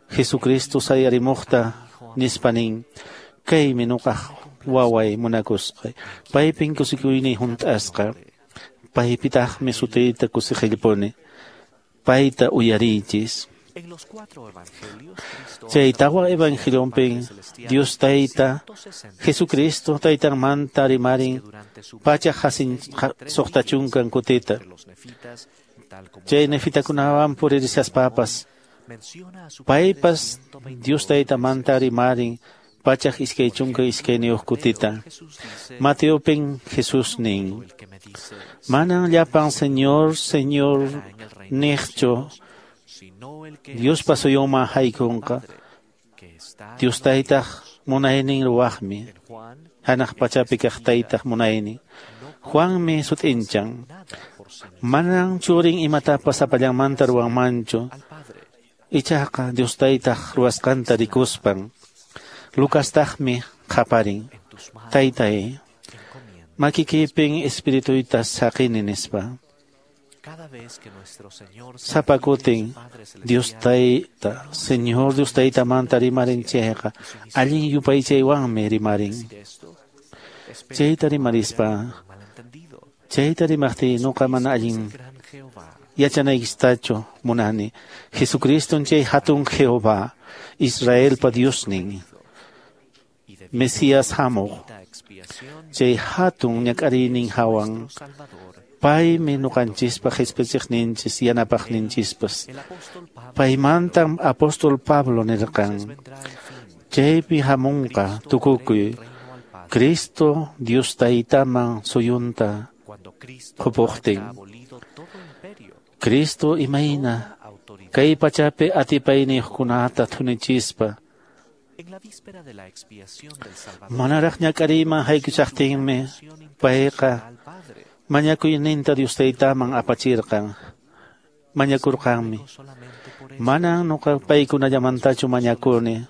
Jesucristo sayarimuqta nispa nin, kaymi nuqaq waway munakusqay, paypin kusikuyniy hunt'asqa, paypitaqmi sutiyta kusiqillpuni, payta uyariychis. Chay tawa evangelionpin Dios tayta Jesucristo taytanmanta rimarin pacha 160 kutita. Chay nefitakunawan puririshaspapas paypas Dios taytamanta rimarin 122 kutita. Mateopin Jesús nin, manan llapan Señor, Señor niqchu Diospa suyunman haykunqa, Dios taytaq munaynin ruwaqmi, hanaq pachapi kaq taytaq munaynin. Juanmi sut'inchan, manan churin imatapas sapallanmanta ruwanmanchu, ichaqa Dios taytaq ruwasqanta rikuspan. Lucastaqmi qaparin, taytay, makikipin espirituyta saqini nispa. Sapa kutin Dios tayta, Señor Dios taytamanta rimarin chayqa, allin yupaychaywanmi rimarin. Chayta rimarispa, chayta rimaqtiy nuqa mana allin yachanaykistachu munani. Jesucriston chay hatun Jehová, Israelpa Diosnin, Mesías hamuq, chay hatun ñak'ariynin hawan, paymi nuqanchispa qhispichiqninchis yanapaqninchispas. Paymantam apóstol Pablo nirqan, chaypi hamunqa tukukuy, Cristo Dios taytaman suyunta qupuqtin. Cristo imayna kay pachapi atipayniyuqkunata thunichispa, manaraq ñak'ariyman haykuchaqtinmi payqa mañakuyninta Dios taytaman apachirqan, mañakurqanmi. Manan nuqa paykunallamantachu mañakuni,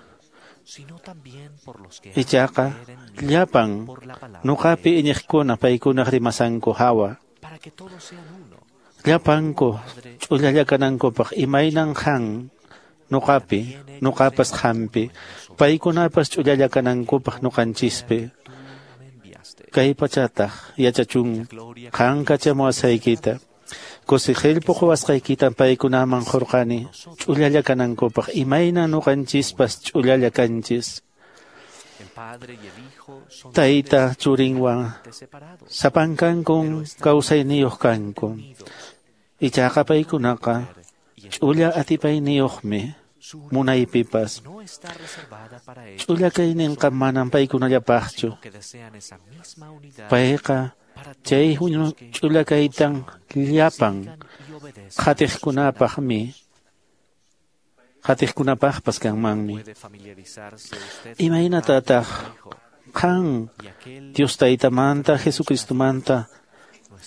ichaqa llapan nuqapi iñiqkuna paykunaq rimasanku hawa, llapanku ch'ullalla kanankupaq imaynan qan nuqapi, nuqapas qampi, paykunapas ch'ullalla kanankupaq nuqanchispi. Kay pachataq yachachun qan kachamuwasqaykita, kusiqillpu quwasqaykita paykunaman qurqani ch'ullalla kanankupaq imaynan nuqanchispas ch'ullalla kanchis. Tayta churinwan sapankankun kawsayniyuq kanku, ichaqa paykunaqa ch'ulla atipayniyuqmi munaypipas. Ch'ulla kayninqa manan paykunallapaqchu, payqa chay ch'ulla kaytan llapan qhatiqkunapaqmi, qhatiqkunapaqpas kanmanmi. Imaynatataq qan Dios taytamanta Jesucristomanta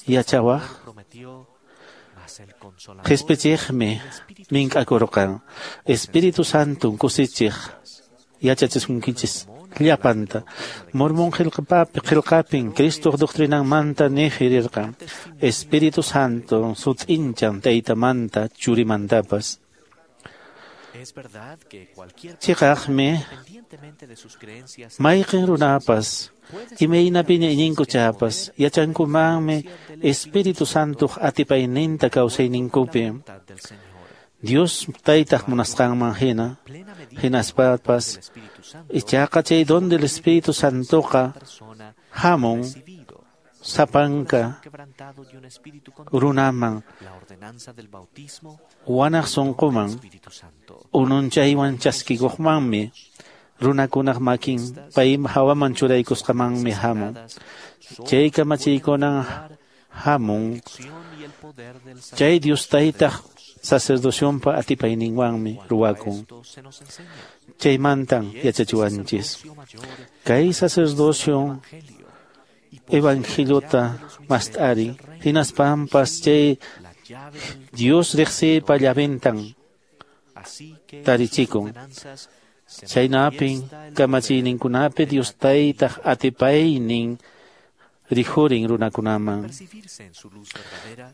yachawaq? Qhispichiqmi mink'akurqan, Espíritu Santon kusichiq yachachisunkichis llapanta. Mormon qillqapin Cristoq doctrinanmanta niqirirqan, Espíritu Santo sut'inchan taytamanta churimantapas. Chiqaqmi mayqin runapas imaynapiña iñinkuchapas yachankumanmi Espíritu Santoq atipayninta kawsayninkupi Dios taytaq munasqanman hina, hinaspapas ichaqa chay don del Espíritu Santoqa hamun sapanka runaman wanaq sunquman ununchaywan chaskikuqmanmi runakunaq makin pay hawaman churaykusqamanmi hamun. Chay kamachiykunan hamun chay Dios Taytaq sacerdocionpa atipayninwanmi ruwakun. Chaymantan yachachiwanchis. Kay sacerdocio evangeliota mast'arin hinaspanpas chay Dios riqsiypa llaventan tarichikun. Chaynapin kamachiyninkunapi Dios Taytaq atipaynin rijurin runakunaman.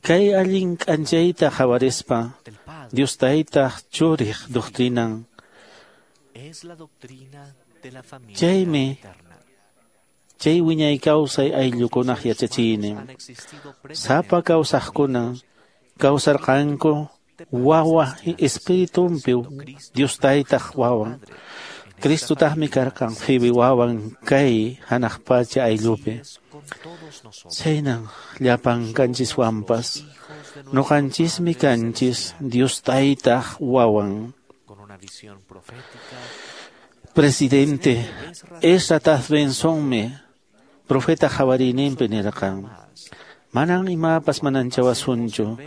Kay allin k'anchayta qhawarispa Dios Taytaq churiq doctrinan. Chaymi chay wiñay kawsay ayllukunaq yachachiynin. Sapa kawsaqkuna kawsarqanku wawa espiritunpi Dios Taytaq wawan. Cristotaqmi karqan phiwi wawan kay hanaq pacha ayllupi. Chaynan llapan kanchiswanpas nuqanchismi kanchis Dios Taytaq wawan. Presidente Ezra Taft Bensonmi profeta qhawariyninpi nirqan: Manan imapas mananchawasunchu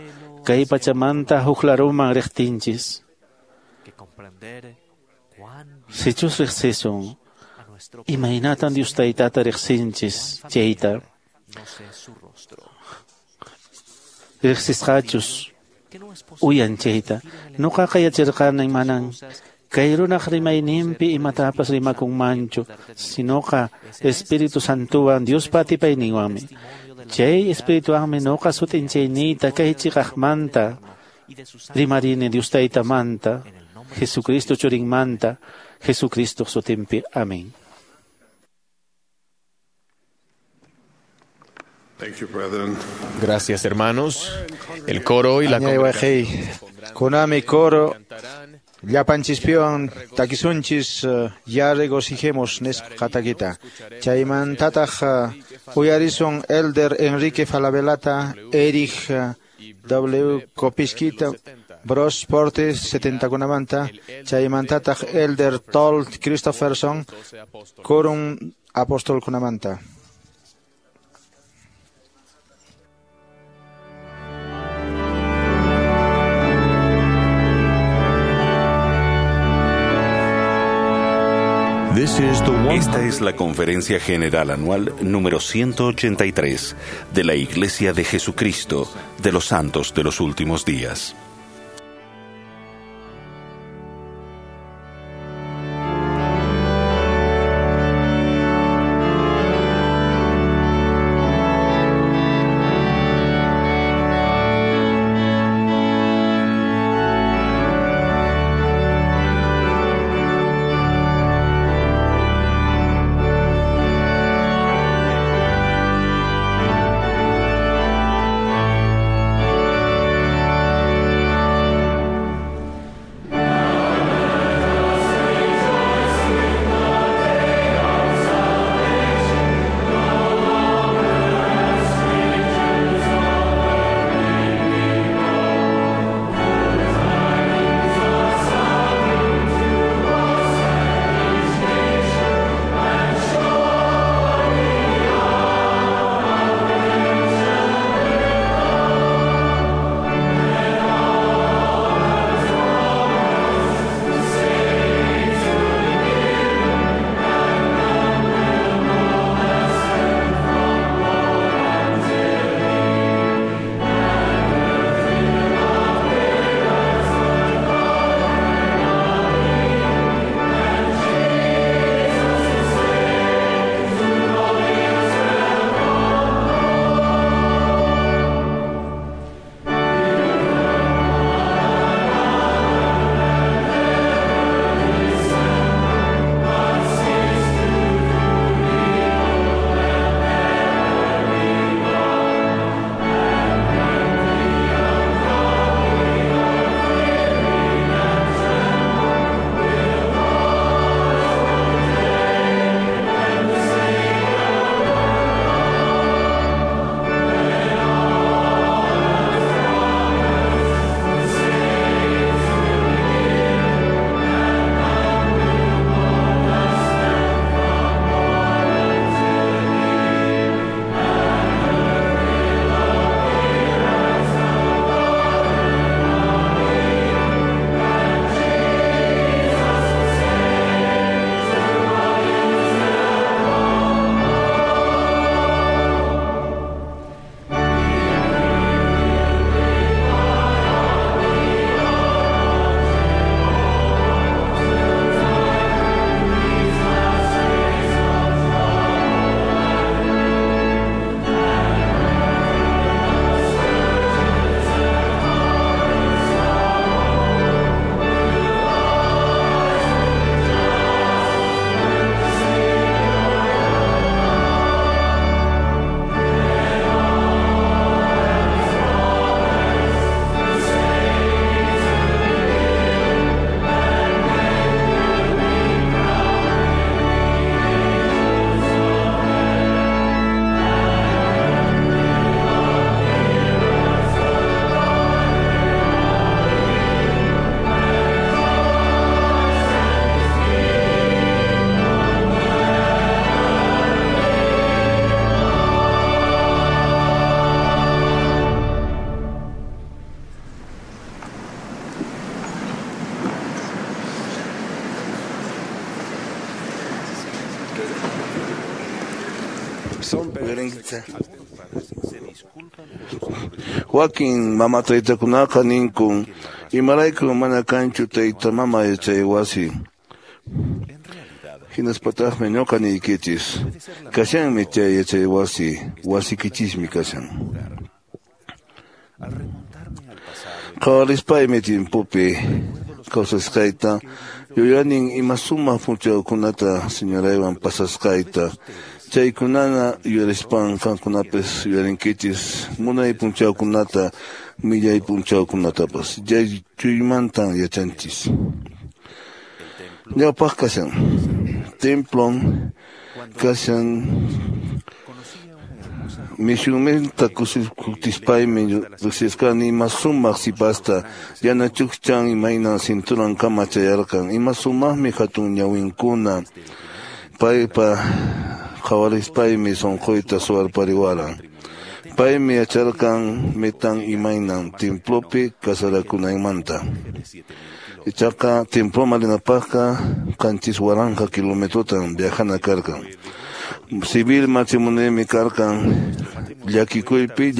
kay pachamanta huk laruman riqtinchis. Sichus riqsisun imaynatan Dios Taytata riqsinchis chayta riqsisqachus uyan chayta. Nuqaqa yacharqani manan kay runaq rimayninpi imatapas rimakunmanchu, sinoqa Espíritu Santuwan Diospa atipayninwanmi. Chay Espirituwanmi nuqa sut'inchayniyta kay chiqaqmanta rimarini Dios Taytamanta, Jesucristo churinmanta, Jesucristo sutinpi. Amén. Gracias, hermanos. El coro y la congregación. Kunami coro llapanchispiwan takisunchis ya regocijemos nisqa takita. Chaymantataq uyarisun Elder Enrique Falabellata, Erich W. Kopiskita, Bros Portes 70kunamanta, chaymantataq Elder Told Christopherson, Quorum apostolkunamanta. Esta es la Conferencia General Anual número 183 de la Iglesia de Jesucristo de los Santos de los Últimos Días. Wakin mama taytakunaqa ninkun imarayku mana kanchu tayta mama yachay wasi. Hinaspataqmi ñuqa niykichis kashanmi chay yachay wasi, wasikichismi kashan. Qhawarispaymi timpupi kawsasqayta yuyanin ima sumaq p'unchawkunata señoraywan pasasqayta. Chaykunana yuyarispan qankunapis yuyarinkichis munay p'unchawkunata millay p'unchawkunatapas. Chaychuymantan yachanchis. Ñawpaq kashan templon kashan mishumenta kutispaymi riqsisqani ima sumaq sipasta yana chukchan imayna cinturankama chayarqan ima sumaqmi hatun ñawinkuna paypa qhawarispaymi sunquyta suwarpariwaran. Paymi yacharqan metan imaynan templopi kasarakunaymanta. Ichaqa temploman rinapaqqa 7000 kilometrotan viajana karqan. Civil matrimoniomi karqan llakikuypi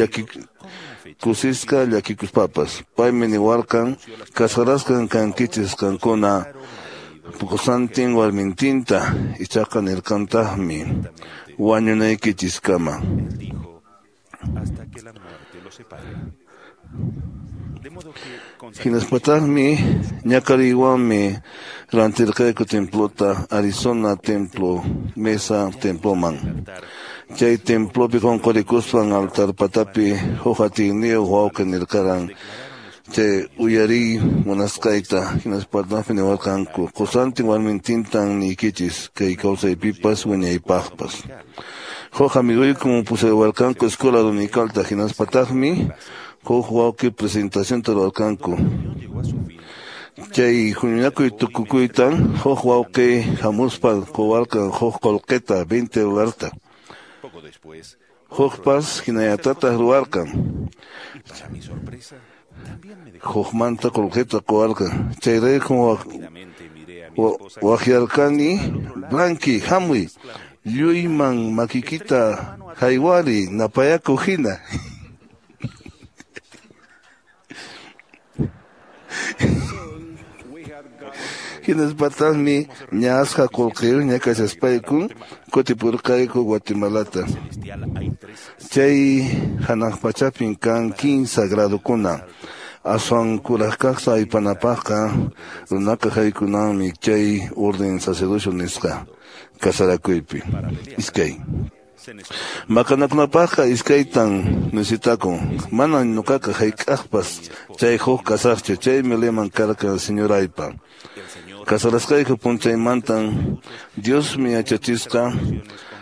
kusisqa llakikuspapas. Paymi niwarqan kasarasqan kankichis qankuna qusantin warmintinta, ichaqa nirqantaqmi wañunaykichiskama. Hinaspataqmi ñakariwanmi rantirqayku templota Arizona Templo Mesa Temploman. Chay templopi qunqurikuspan altar patapi huk atiyniyuq wawqi nirqaran chay uyariy munasqayta. Hinaspataqmi niwarqanku qusantin warmintintan niykichis kay kawsaypipas wiñaypaqpas. Huk amiguykum pusaywarqanku escuela dominicalta hinaspataqmi huk wawqi presentacionta ruwarqanku. Chay huñunakuy tukukuytan huk wawqi hamuspa quwarqan huk qullqita $20. Hukpas hinallatataq ruwarqan. Hukmanta qullqita quwarqan. Chayraykum waqyarqani Blanqui hamuy lluyman makikita haywari napayakuq hina. Hinaspataqmi ñaasqa qullqiyuqña kashaspaykun kutipurqayku Guatemalata. Chay hanaq pachapin kan 15 gradukuna. Aswan kuraq kaq aypanapaqqa runaqa haykunanmi chay orden sacerdocio nisqa kasarakuypi. Iskay. Maqanakunapaqqa iskaytan necesitakun. Manan ñuqaqa hayk'aqpas chay huk kasaqchu, chaymi liman karqan señoraypa. Kasarasqayku p'unchaymantan Diosmi yachachisqa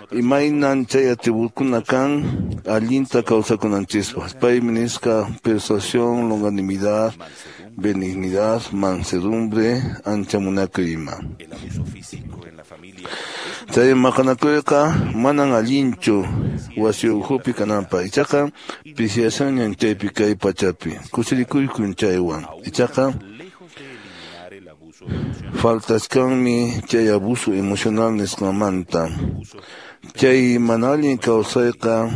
imaynan chay atribukuna kan allinta kawsakunanchispaq. Paymi nisqa persuasión, longanimidad, benignidad, mansedumbre, ancha munakuy ima. Chay maqanakuyqa manan allinchu wasi ukhupi kananpaq. Ichaqa pisiyashanñan chaypi kay pachapi. Kusirikuykun chaywan. Ichaqa faltaskanmi chay abuso emocional nisqanmanta. Chay mana allin kawsayqa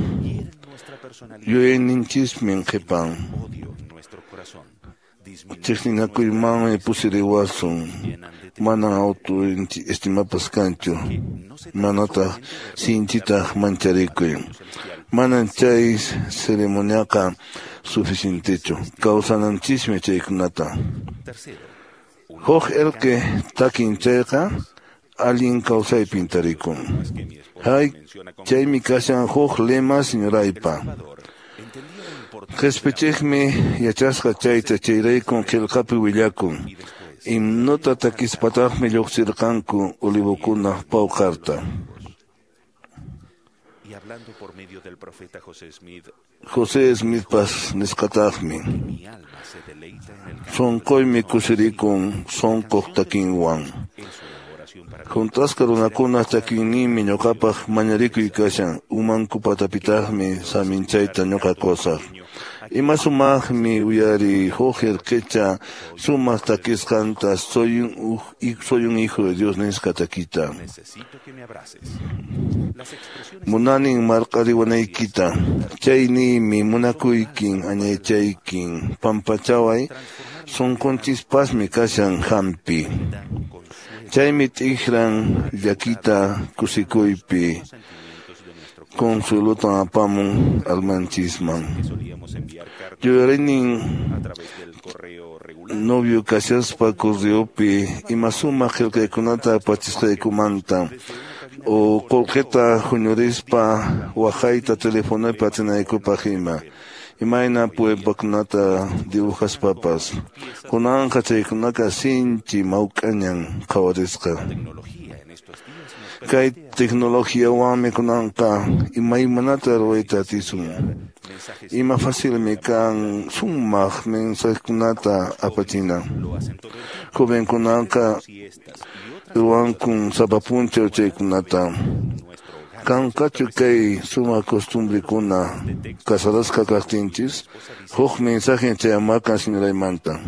yuyayninchismi qhipan. Chiqninakuymanmi pusiriwasun. Manan autoestimapas kanchu. Manataq sinchitaq mancharikuy. Manan chay ceremoniaqa suficientechu. Kawsananchismi chaykunata. Huk erqe takin chayqa allin kawsaypin tarikun. Hay chaymi kashan huk lema señoraypa. Qhispichiqmi yachasqa chayta chayraykun qillqapi willakun. Himnota takispataqmi lluqsirqanku olivokunaq pawqarta. José Smithpas nisqataqmi. Sunquymi kusirikun sunquq takinwan. Juntasqa runakunaq takinninmi ñuqapaq mañarikuy kashan. Umanku patapitaqmi saminchayta ñuqa qusaq. Ima sumaqmi uyariy huk erqicha sumaq takisqanta soy un hijo de Dios nisqa takita. Munanin marq'ariwanaykita, chayniymi munakuykin añaychaykin, pampachaway sunqunchispasmi kashan hampi. Chaymi t'ikran llakita kusikuypi, consuelotan apamun almanchisman. Yuyarinin novio kashaspa correopi ima sumaq qillqaykunata apachisqaykumanta o qullqita huñurispa waqayta telefonopi atinaykupaq ima. Imayna puempakunata dibujaspapas. Kunanqa chaykunaqa sinchi mawk'añan qhawarisqa. Kay tecnologiawanmi kunanqa imaymanata ruwayta atisun. Ima facilmi kan sumaq mensajekunata apachina. Jovenkunaqa ruwankun sapa p'unchaw chaykunata. Kanqachu kay sumaq costumbrekuna casarasqa kaqtinchis, huk mensaje chayamarqan señoraymanta.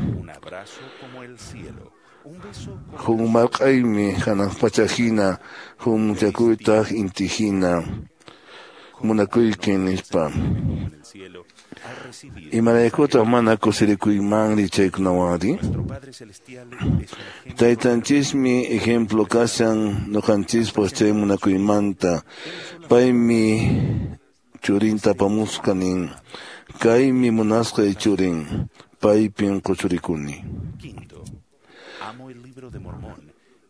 Huk marq'aymi hanaq pacha hina, huk muchakuytaq inti hina, munakuykin nispa. Imaraykutaq mana kusirikuymanri chaykunawanri? Taytanchismi ejemplo kashan ñuqanchispaq chay munakuymanta. Paymi churinta apamusqa nin, kaymi munasqay churin, paypin quchurikuni.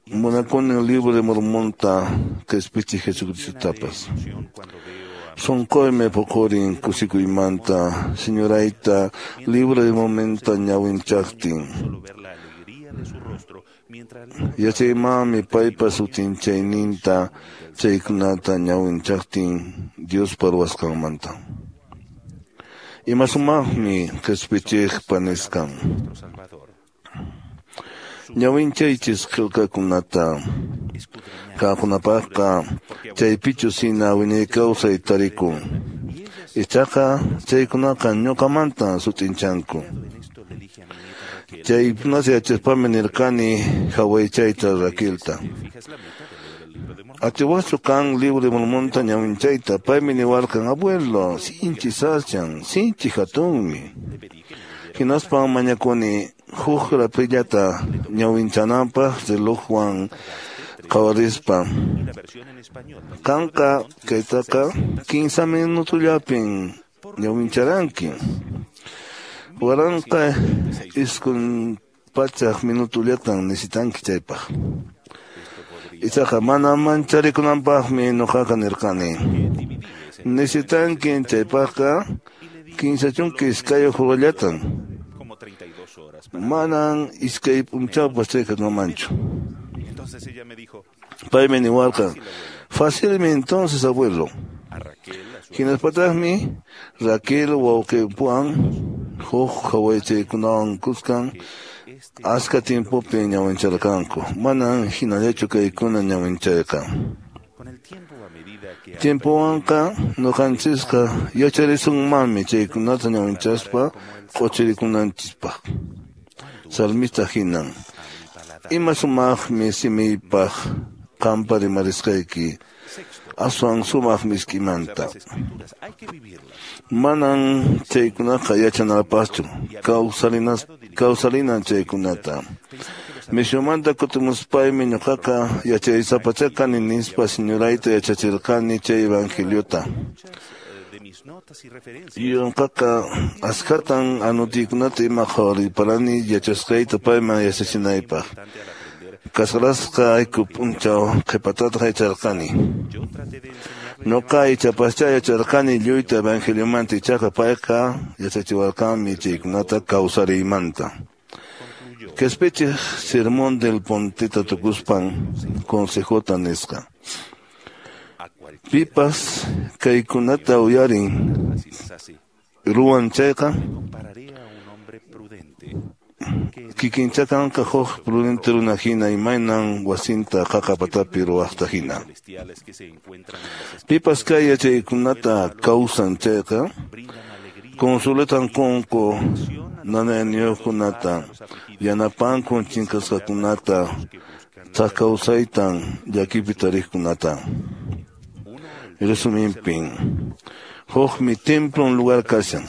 Munakuni libro de Mormonta qhispichiq Jesucristotapas. Sunquymi puqurin kusikuymanta, señorayta libro de Mormonta ñawinchaqtin. Yachaymanmi paypa sutinchayninta chaykunata ñawinchaqtin Diospa ruwasqanmanta. Ima sumaqmi qhispichiqpa nisqan. Ñawinchaychis qillqakunata qankunapaqqa chaypichus hina wiñay kawsay tarikun. Ichaqa chaykunaqa ñuqamantan sut'inchanku. Chaykunata yachaspami nirqani hawaychayta Raquelta. Atiwaqchu kan libro de Mormonta ñawinchayta, paymi niwarqan, abuelo, sinchi sachan, sinchi hatunmi. Hinaspan mañakuni huk rapillata ñawinchananpaq relojwan qhawarispa. Qanqa kaytaqa 15 minutollapin ñawincharanki. 1900 minutollatan necesitanki chaypaq. Ichaqa mana mancharikunanpaqmi ñuqaqa nirqani. Necesitanki chaypaqqa 32 horallatan. Manan iskay p'unchawpas chayqa kanmanchu. Paymi niwarqan, facilmi entonces abuelo. Hinaspataqmi Raquel wawqipuwan huk hawaychaykunawan kuskan aska tiempopi ñawincharqanku. Manan hinallachu kaykuna ñawinchayqa. Tiempowanqa ñuqanchisqa yacharisunmanmi chaykunata ñawinchaspa q'uchirikunanchispaq. Salmista hinan. Ima sumaqmi simiypaq qampa rimarisqayki, aswan sumaq misk'imanta. Manan chaykunaqa yachanapaqchu, kawsarinan chaykunata. Misiomanta kutimuspaymi ñuqaqa yachaysapachá kani nispa señorayta yachachirqani chay evangeliota. Ñuqaqa askhatan anotiykunata ima qhawariparani yachasqayta payman yachachinaypaq. Casarasqa ayku p'unchaw qhipatataq yacharqani. Ñuqa ichapaschá yacharqani lluyta evangeliomanta, ichaqa payqa yachachiwarqanmi chaykunata kawsariymanta. Qhispichiq sermón del Ponteta tukuspan consejota nisqa. Pipas kaykunata uyarin ruwan chayqa kikinchakanqa huk prudente runa hina imaynan wasinta qaqa patapi ruwaqta hina. Pipas kay yachaykunata kawsan chayqa consuelotan qunku nanayniyuqkunata, yanapankun chinkasqakunata, thak kawsaytan llakipi tariqkunata. Resuminpin. Hukmi templon lugar kashan.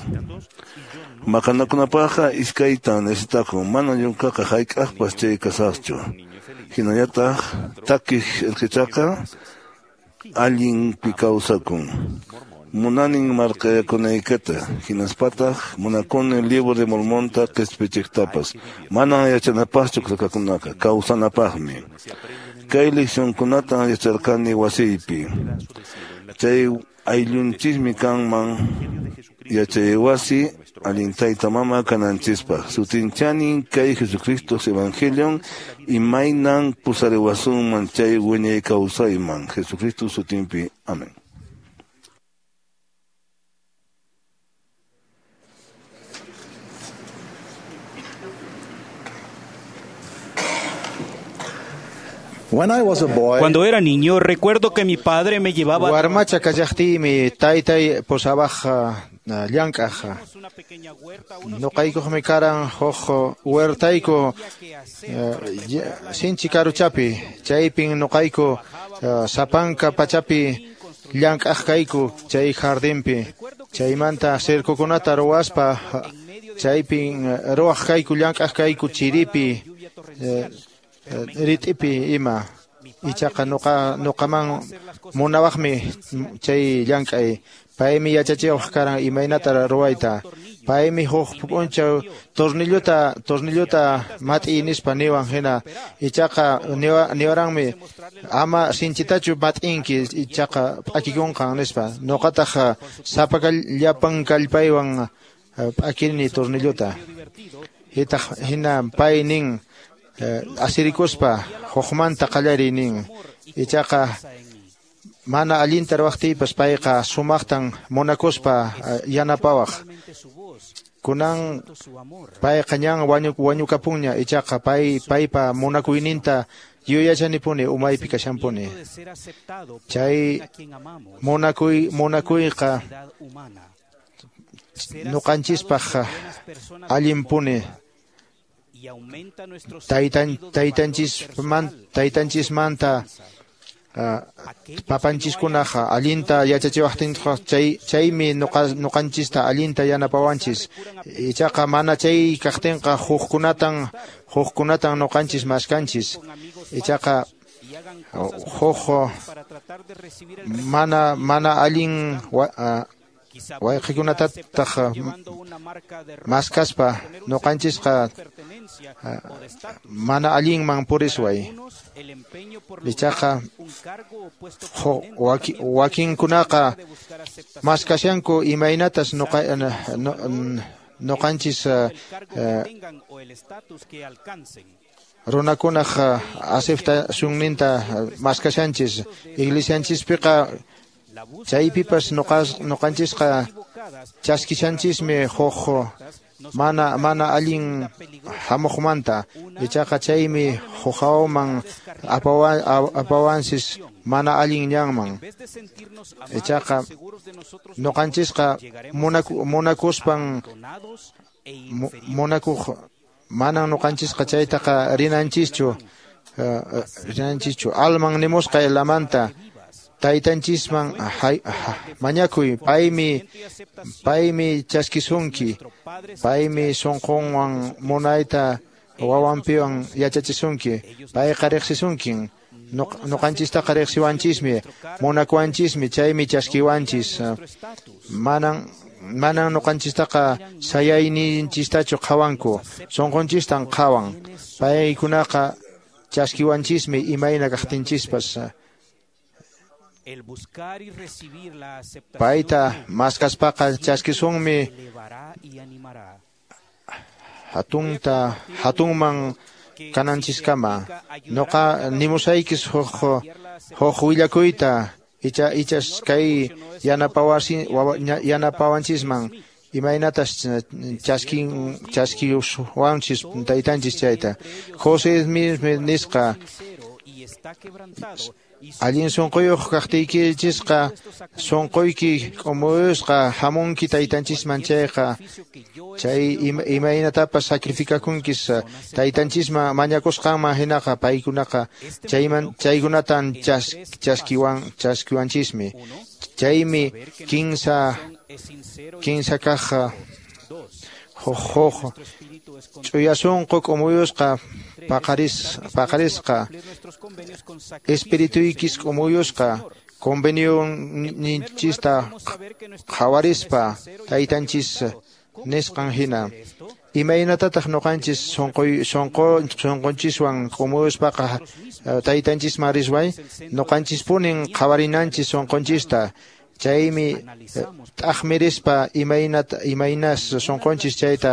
Maqanakunapaqqa iskaytan necesitakun, mana yunkaqa hayk'aqpas chay kasaqchu. Hinallataq takiq irqichaqa allinpi kawsakun. Munanin marqayakunaykita, hinaspataq munakuni Libro de Mormonta qispichiqtapas. Manan yachanapaqchu qillqakunaqa, kawsanapaqmi. Kay leccionkunatan yacharqani wasiypi. Chay ayllunchismi kanman yachaywasi allin tayta mama kananchispaq. Sutinchanin kay Jesucristo Evangelion imaynan pusariwasunman chay wiñay kawsayman. Jesucristo sutinpi. Amén. Cuando era niño, recuerdo que mi padre me llevaba. Warmacha kallaqtiymi taytay pusawaq llank'aq. Nuqaykuqmi karan huk huertayku sinchi karuchapi. Chaypin nuqayku sapanka pachapi llank'aq kayku chay jardinpi. Chaymanta cercokunata ruwaspa chaypin ruwaq kayku llank'aq kayku chiripi rit'ipi ima. Ichaqa nuqaman munawaqmi chay llank'ay. Paymi yachachiwaq karan imaynata ruwayta. Paymi huk p'unchaw tornillota mat'iy nispa niwan hina. Ichaqa niwaranmi ama sinchitachu mat'inki ichaqa p'akikunqan nispa. Nuqataq sapa llapan kallpaywan p'akirini tornillota. Hitaq hina pay nin asirikuspa hukmanta qallariy nin. Ichaqa mana allinta ruwaqtiypas payqa sumaqtan munakuspa yanapawaq. Kunan payqa ñan wañukapunña ichaqa paypa munakuyninta yuyachanipuni umaypi kashanpuni. Chay munakuyqa nuqanchispaq allinpuni. Taytanchismanta papanchiskunaqa allinta yachachiwaqtinqa chaymi nuqanchista allinta yanapawanchis. Ichaqa mana chay kaqtinqa hukkunatan nuqanchis maskanchis. Ichaqa huk mana allin wayqikunatataq maskaspa nuqanchisqa mana allinman purisway. Ichaqa wakinkunaqa maskashanku imaynatas nuqanchis runakunaq aceptacionninta maskashanchis. Iglesianchispiqa chaypipas nuqanchisqa chaskishanchismi huk mana allin hamuqmanta. Ichaqa chaymi hukhawaman apawanchis mana allin ñanman. Ichaqa nuqanchisqa munakuspan munakuq manan nuqanchisqa chaytaqa rinanchischu. Alman nimusqa lamanta taytanchisman mañakuy, paymi chaskisunki, paymi sunqunwan munayta wawanpiwan yachachisunki, payqa riqsisunkin, nuqanchistaqa riqsiwanchismi, munakuwanchismi, chaymi chaskiwanchis. Manan nuqanchistaqa sayayninchistachu qhawanku, sunqunchistan qhawan. Paykunaqa chaskiwanchismi imayna kaqtinchispas. Payta maskaspaqa chaskisunmi hatunman kananchiskama. Nuqa nimusaykis huk willakuyta ichas kay yanapawanchisman imaynatas chaskiwanchis taytanchis chayta. José Smith nisqa allin sunquyuq kaqtiykichisqa sunquyki k'umuyusqa hamunki taytanchisman chayqa chay imaynatapas sacrificakunkis taytanchisman mañakusqanman hinaqa paykunaqa chaykunatan chaskiwanchismi. Chaymi kinsa kaq huk ch'uya sunqu k'umuyusqa paqarisqa espirituykis k'umuyusqa convenioninchista qhawarispa taytanchis nisqan hina. Imaynatataq ñuqanchis sunqunchiswan k'umuyuspaqa taytanchisman risway ñuqanchispunin qhawarinanchis sunqunchista. Chaymi t'aqmirispa imaynas sunqunchis chayta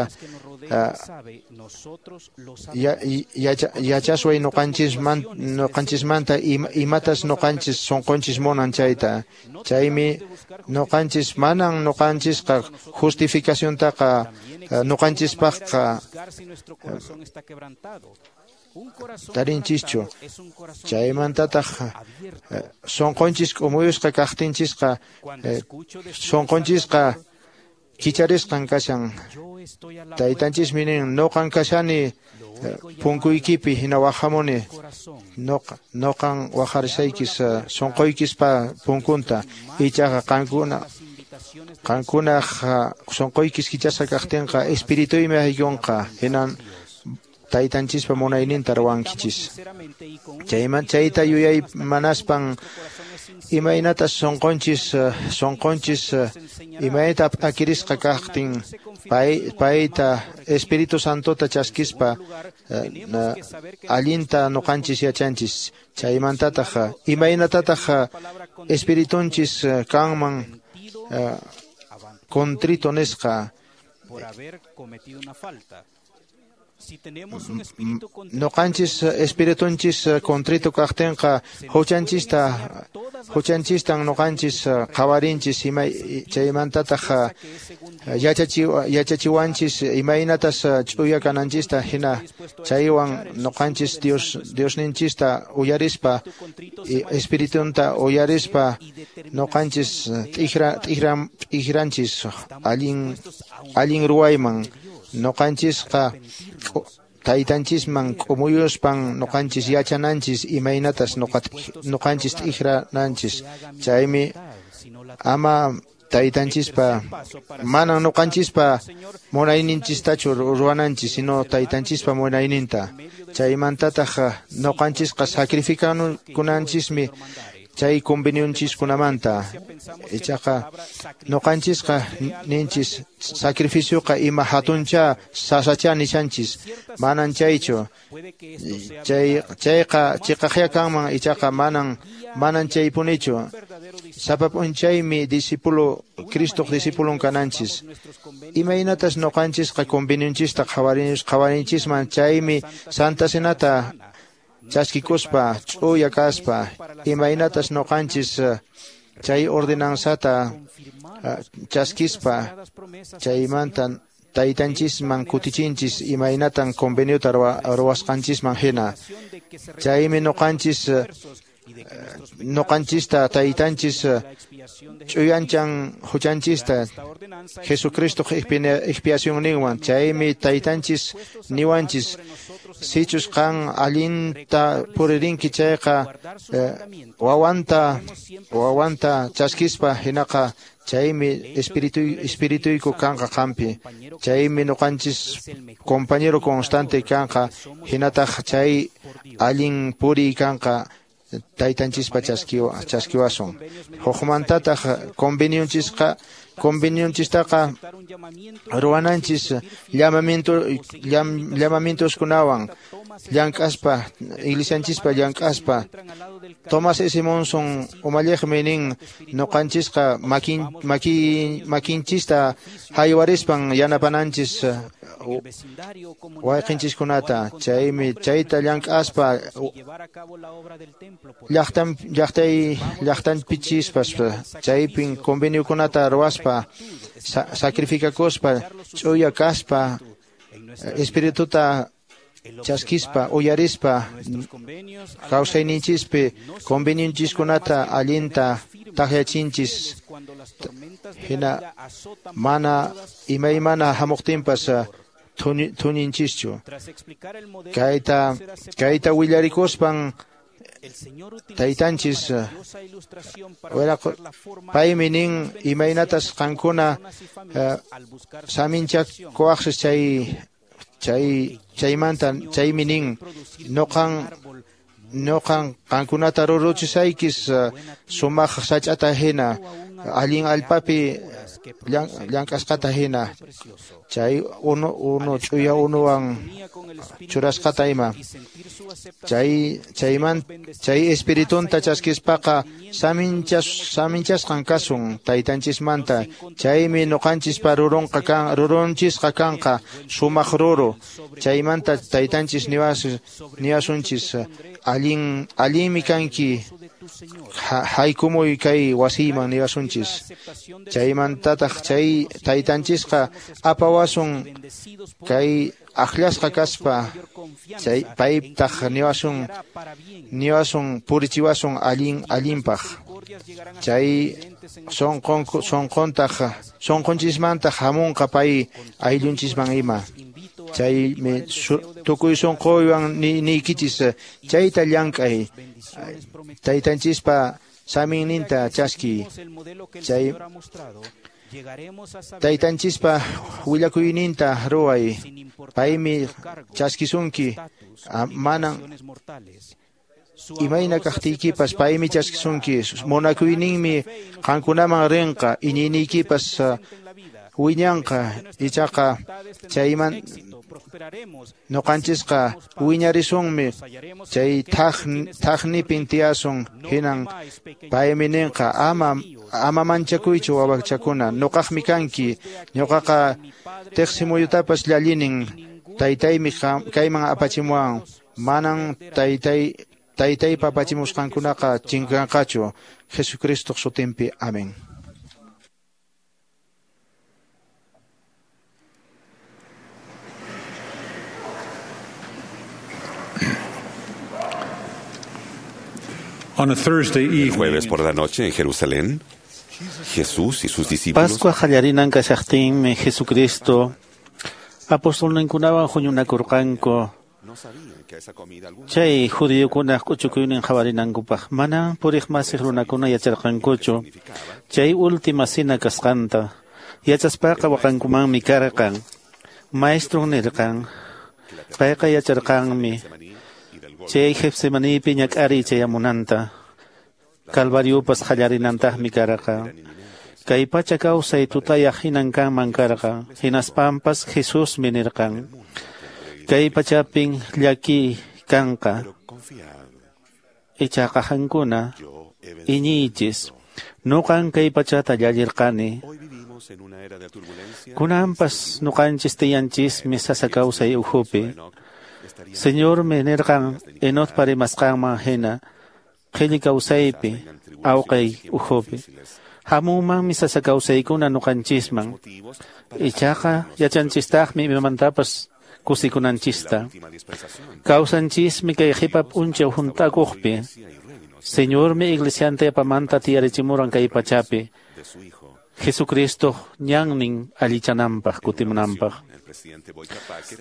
yachasway ñuqanchismanta imatas ñuqanchis sunqunchis munan chayta. Chaymi ñuqanchis manan ñuqanchisqa justificaciontaqa ñuqanchispaqqa tarinchischu. Chaymantataq sunqunchis k'umuyusqa kaqtinchisqa sunqunchisqa kicharisqan kashan. Taytanchismi nin ñuqan kashani punkuykipi hina waqhamuni ñuqan waqharishaykis sunquykispa punkunta ichaqa qankunaq sunquykis kichasqa kaqtinqa espirituymi haykunqa hinan taytanchispa munayninta ruwankichis. Chayta yuyay manaspan imaynatas sunqunchis imaynata p'akirisqa kaqtin payta Espíritu Santota chaskispa allinta ñuqanchis yachanchis. Chaymantataq imaynatataq espiritunchis kanman contrito nisqa. Ñuqanchis espiritunchis contrito kaqtinqa huchanchistan ñuqanchis qhawarinchis chaymantataq yachachiwanchis imaynatas ch'uya kananchista hina chaywan ñuqanchis Diosninchista uyarispa espiritunta uyarispa ñuqanchis t'ikranchis allin ruwayman. Ñuqanchisqa taytanchisman k'umuyuspan ñuqanchis yachananchis imaynatas ñuqanchis t'ikrananchis. Chaymi ama taytanchispa manan ñuqanchispa munayninchistachu ruwananchis sino taytanchispa munayninta. Chaymantataq ñuqanchisqa sacrificakunanchismi chay convenionchiskunamanta. Ichaqa ñuqanchisqa ninchis sacrificioqa ima hatuncha sasacha nishanchis manan chaychu. Chayqa chiqaqya kanman ichaqa manan chaypunichu. Sapa p'unchaymi discípulo Cristoq discípulon kananchis. Imaynatas ñuqanchisqa convenionchista qhawarinchisman chaymi Santa Cenata chaskikuspa ch'uya kaspa imaynatas ñuqanchis chay ordenanzata chaskispa chaymanta taytanchisman kutichinchis imaynatan conveniota ruwasqanchisman hina. Chaymi ñuqanchista taytanchis ch'uyanchan huchanchista Jesucristoq expiacionninwan. Chaymi taytanchis niwanchis sichus qan allinta puririnki chayqa wawanta chaskispa hinaqa chaymi espirituyku kanqa qampi. Chaymi ñuqanchis compañero constante kanqa hinataq chay allin puriy kanqa taytanchispa chaskiwasun. Hukmantataq convenionchistaqa ruwananchis llamamientoskunawan llank'aspa iglesianchispa llank'aspa. Thomas S. Monson umalliqmi nin ñuqanchisqa makinchista haywarispan yanapananchis wayqinchiskunata. Chaymi chayta llank'aspa llaqtanpichispas chaypin conveniokunata ruwaspa sacrificakuspa ch'uya kaspa espirituta chaskispa uyarispa kawsayninchispi convenionchiskunata allinta takyachinchis hina mana imaymana hamuqtinpas thuñinchischu. Kayta willarikuspan Taytanchis paymi nin imaynatas qankuna saminchakuwaqsis chaymanta chaymi nin noqan qankunata ruruchisaykis sumaq sach'ata hina allin allpapi llank'asqata hina chay unu ch'uya unuwan churasqata ima chay espiritunta chaskispaqa saminchasqan kasun taytanchismanta chaymi noqanchispa rurunchisqa kanqa sumaq ruru chaymanta taytanchis niwasunchis allinmi kanki haykumuy kay wasiyman niwasunchis chaymantataq chay taytanchisqa apawasun kay aqllasqa kaspa chay paytaq niwasun purichiwasun allinpaq chay sunqunchismantaq hamunqa pay ayllunchisman ima chaymi tukuy sunquywan niykichis chayta llank'ay taytanchispa saminninta chaskiy chay taytanchispa willakuyninta ruway paymi chaskisunki manan imayna kaqtiykipas paymi chaskisunki munakuyninmi qankunaman rinqa iñiyniykipas wiñanqa ichaqa chayman noqanchisqa wiñarisunmi chay thaqnipin tiyasun hinan paymi ninqa ama manchakuychu wawachakuna noqaqmi kanki ñuqaqa tiqsimuyutapas llallinin taytaymi kayman apachimuwan manan taytaypa apachimusqankunaqa chinkanqachu Jesucristoq sutinpi amén. El jueves por la noche en Jerusalén, Jesús y sus discípulos. Pascua qallarinan kashaqtinmi Jesucristo apostolninkunawan huñunakurqanku. Chay judiokunaq k'uchukuynin qhawarinankupaq manan puriqmasiq runakuna yacharqankuchu chay última cena kasqanta yachaspaqa waqankumanmi karqan. Maestron nirqan payqa yacharqanmi chay Getsemanípi ñak'ariy chayamunanta Calvariopas qallarinantaqmi karqa. Kay pacha kawsay tutayaq hinan kanman karqa hinaspampas Jesusmi nirqan kay pachapin llaki kanqa ichaqa qankuna iñiychis nuqan kay pachata llallirqani. Kunanpas nuqanchis tiyanchismi sasa kawsay ukhupi. Señormi nirqan Enocpa rimasqanman hina qhilli kawsaypi awqay ukhupi hamunmanmi sasa kawsaykuna nuqanchisman ichaqa yachanchistaqmi imamantapas kusikunanchista. Kawsanchismi kay qhipa p'unchaw hunt'akuqpi. Señormi iglesianta yapamanta tiyarichimuran kay pachapi Jesucristo ñannin allichananpaq kutimunanpaq.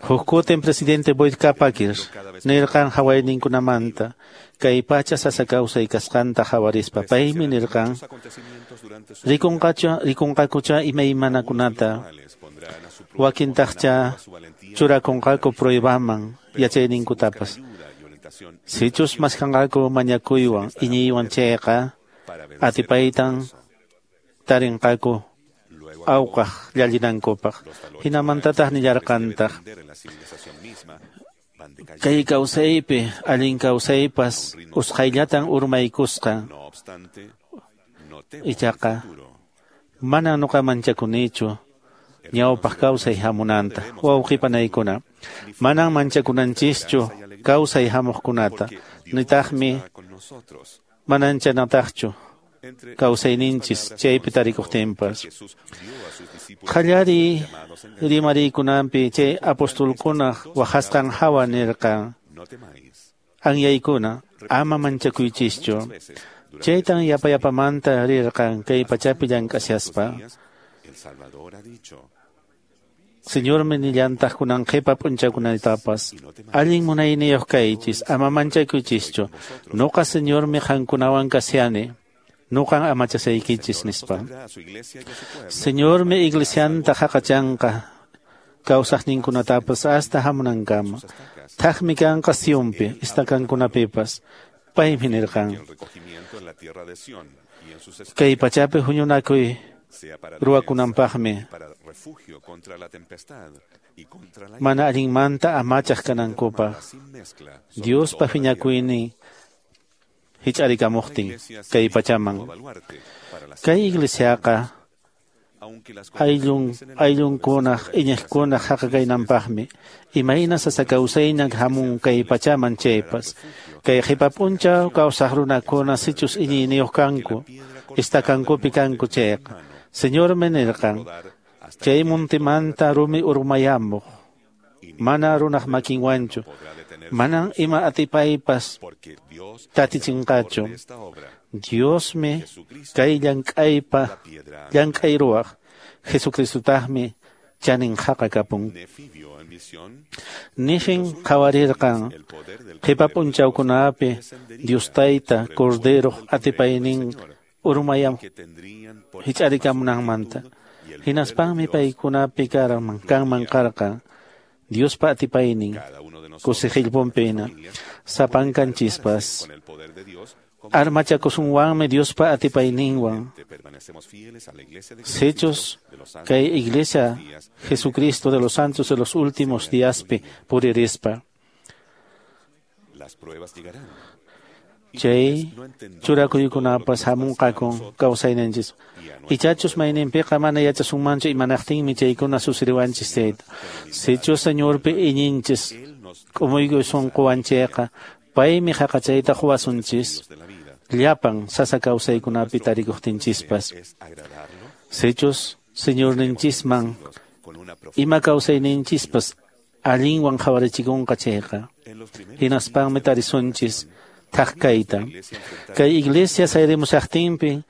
Huk kutin presidente Boyd K. Packer nirqan hawayninkunamanta kay pacha sasa kawsay kasqanta hawarispa paymi nirqan rikunqakucha imaymanakunata wakintaqcha churakunqaku pruebaman yachayninkutapas sichus maskanqaku mañakuywan iñiywan chayqa atipaytan tarinqaku awqaq llallinankupaq hinamantataq nillarqantaq kay kawsaypi allin kawsaypas usqhayllatan urmaykusqa ichaqa mana nuqa manchakunichu ñawpaq kawsay hamunanta wawqipanaykuna manan manchakunanchischu kawsay hamuqkunata nitaqmi mananchanataqchu kawsayninchis chaypi tarikuqtinpas. Qallariy rimariykunanpi chay apostolkunaq waqasqan hawa nirqan anyaykuna ama manchakuychischu chaytan yapayapamanta rirqan kay pachapi llank'ashaspa. Señormi nillantaq kunan qhipa p'unchawkunatapas. Allin munayniyuq kaychis, ama manchakuychischu. Nuqa Señormi qankunawan kashani. Nuqan amachasaykichis nispa. Señormi iglesianta haqachanqa kawsaqninkunatapas hasta hamunankama. Thaqmi kanqa Sionpi, estakankunapipas. Paymi nirqan. Kay pachapi huñunakuy ruwakunanpaqmi mana allinmanta amachaq kanankupaq. Diospa phiñakuynin hich'arikamuqtin kay pachaman. Kay iglesiaqa ayllunkunaq iñiqkunaq haqakaynanpaqmi imayna sasa kawsayña hamun kay pachaman chaypas. Kay qhipa p'unchaw kawsaq runakuna sichus iñiyniyuq kanku, estakankupi kanku chayqa. Señormi nirqan, chay muntimanta rumi urmayamuq, mana runaq makinwanchu, manan ima atipaypas tatichinqachu. Diosmi kay llank'aypa llank'ay ruwaq, Jesucristutaqmi chanin haqa kapun. Nifin qhawarirqan qhipa p'unchawkunapi Dios Tayta Corderoq atipaynin urmayam hich'arikamunanmanta. Hinaspanmi paykunapi kanman karqan Diospa atipaynin kusiqillpunpina sapankanchispas. Armachakusunwanmi Diospa atipayninwan. Sichus kay Iglesia Jesucristo de los Santos de los últimos díaspi puririspa. Chay churakuykunapas hamunqakun kawsayninchis. Ichachus mayninpiqa mana yachasunmanchu imanaqtinmi chaykuna susiriwanchis chayta. Sichus Señorpi iñinchis k'umuykuy sunquwanchayqa paymi haqachayta quwasunchis llapan sasa kawsaykunapi tarikuqtinchispas. Sichus Señorninchisman ima kawsayninchispas allinwan qhawarichikunqa chayqa hinaspanmi tarisunchis thaq kayta. Kay iglesia sayrimushaqtinpi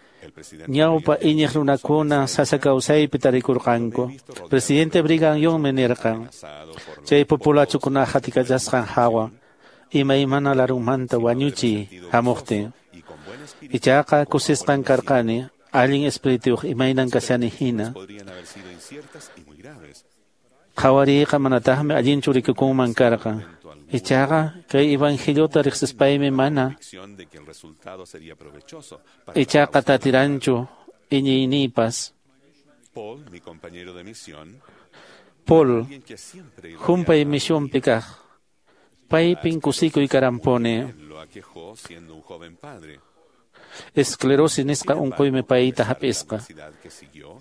ñawpa iñiq runakuna sasa kawsaypi tarikurqanku. Presidente Brigham Youngmi nirqan chay populachukunaqa hatikachasqan hawa imaymana larunmanta wañuchiy hamuqtin. Ichaqa kusisqan karqani allin espirituyuq imaynan kashani hina. Qhawariyqa manataqmi allinchu rikukunman karqan. Ichaqa kay evangeliota riqsispaymi mana ichaqa tatiranchu iñiyniypas. Paul, humpay misionpi kaq, paypin kusikuy karanpuni. Esclerosis nisqa unquymi payta hap'isqa.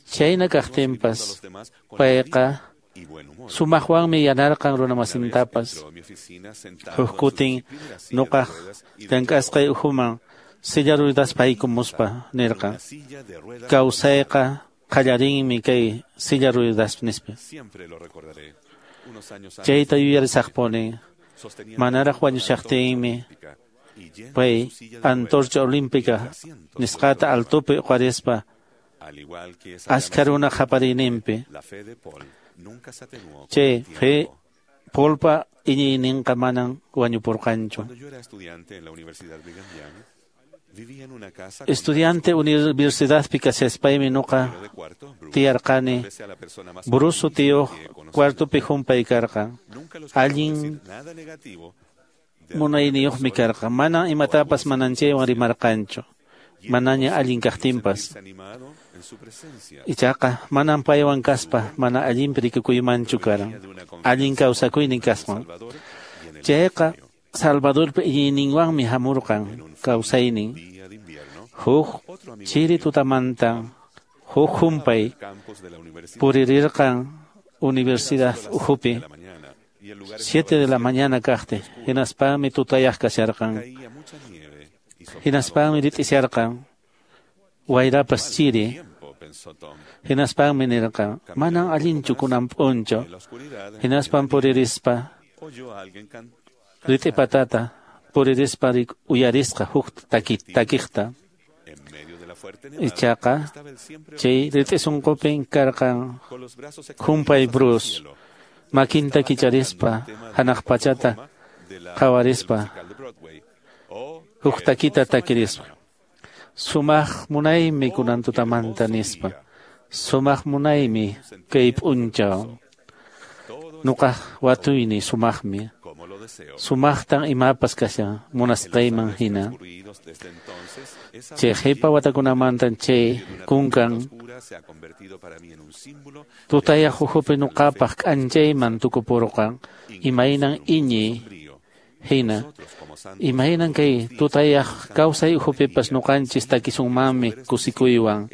Chayna kaqtinpas payqa sumaqwanmi yanarqan runamasintapas. Huk kutin nuqaq llank'asqay ukhuman silla ruedaspa haykumuspa nirqan, kawsayqa qallarinmi kay silla ruedas nispa. Chayta yuyarisaqpuni. Manaraq wañushaqtinmi pay antorcha olímpica nisqata altopi uqarispa achka runa qapariyninpi. Chay fe Paulpa iñiyninqa manan wañupurqanchu. Estudiante universidadpi kashaspaymi nuqa tiyarqani Bruce sutiyuq cuartopi humpay karqan. Allin munayniyuqmi karqan. Mana imatapas mananchaywan rimarqanchu. Manaña allin kaqtinpas. Ichaqa manan paywan kaspa mana allinpi rikukuymanchu karan. Allin kawsakuynin kasman. Chayqa Salvadorpa iñiyninwanmi hamurqan kawsaynin. Huk chiri tutamanta huk humpay puririrqan universidad ukhupi 7 de la mañana kaqti. Hinaspanmi tutayaq kasharqan. Hinaspanmi rit'isharqan wayrapas chiri. Hinaspanmi nirqan manan allinchu kunan p'unchaw. Hinaspan puririspa rit'i patata puririspa uyarisqa huk takiqta. Ichaqa chay rit'i sunqupin karqan humpay Bruce. Makinta kicharispa, hanaq pachata qhawarispa, huk takita takirispa. Sumaq munaymi kunan tutamanta nispa. Sumaq munaymi kay p'unchaw. Nuqaq watuyni sumaqmi. Sumaqtan imapas kashan munasqayman hina. Chay qhipa watakunamantan chay kunkan tutayaq ukhupi nuqapaq k'anchayman tukupurqan imaynan iñiy hina. Imaynan kay tutayaq kawsay ukhupipas nuqanchis takisunmanmi kusikuywan.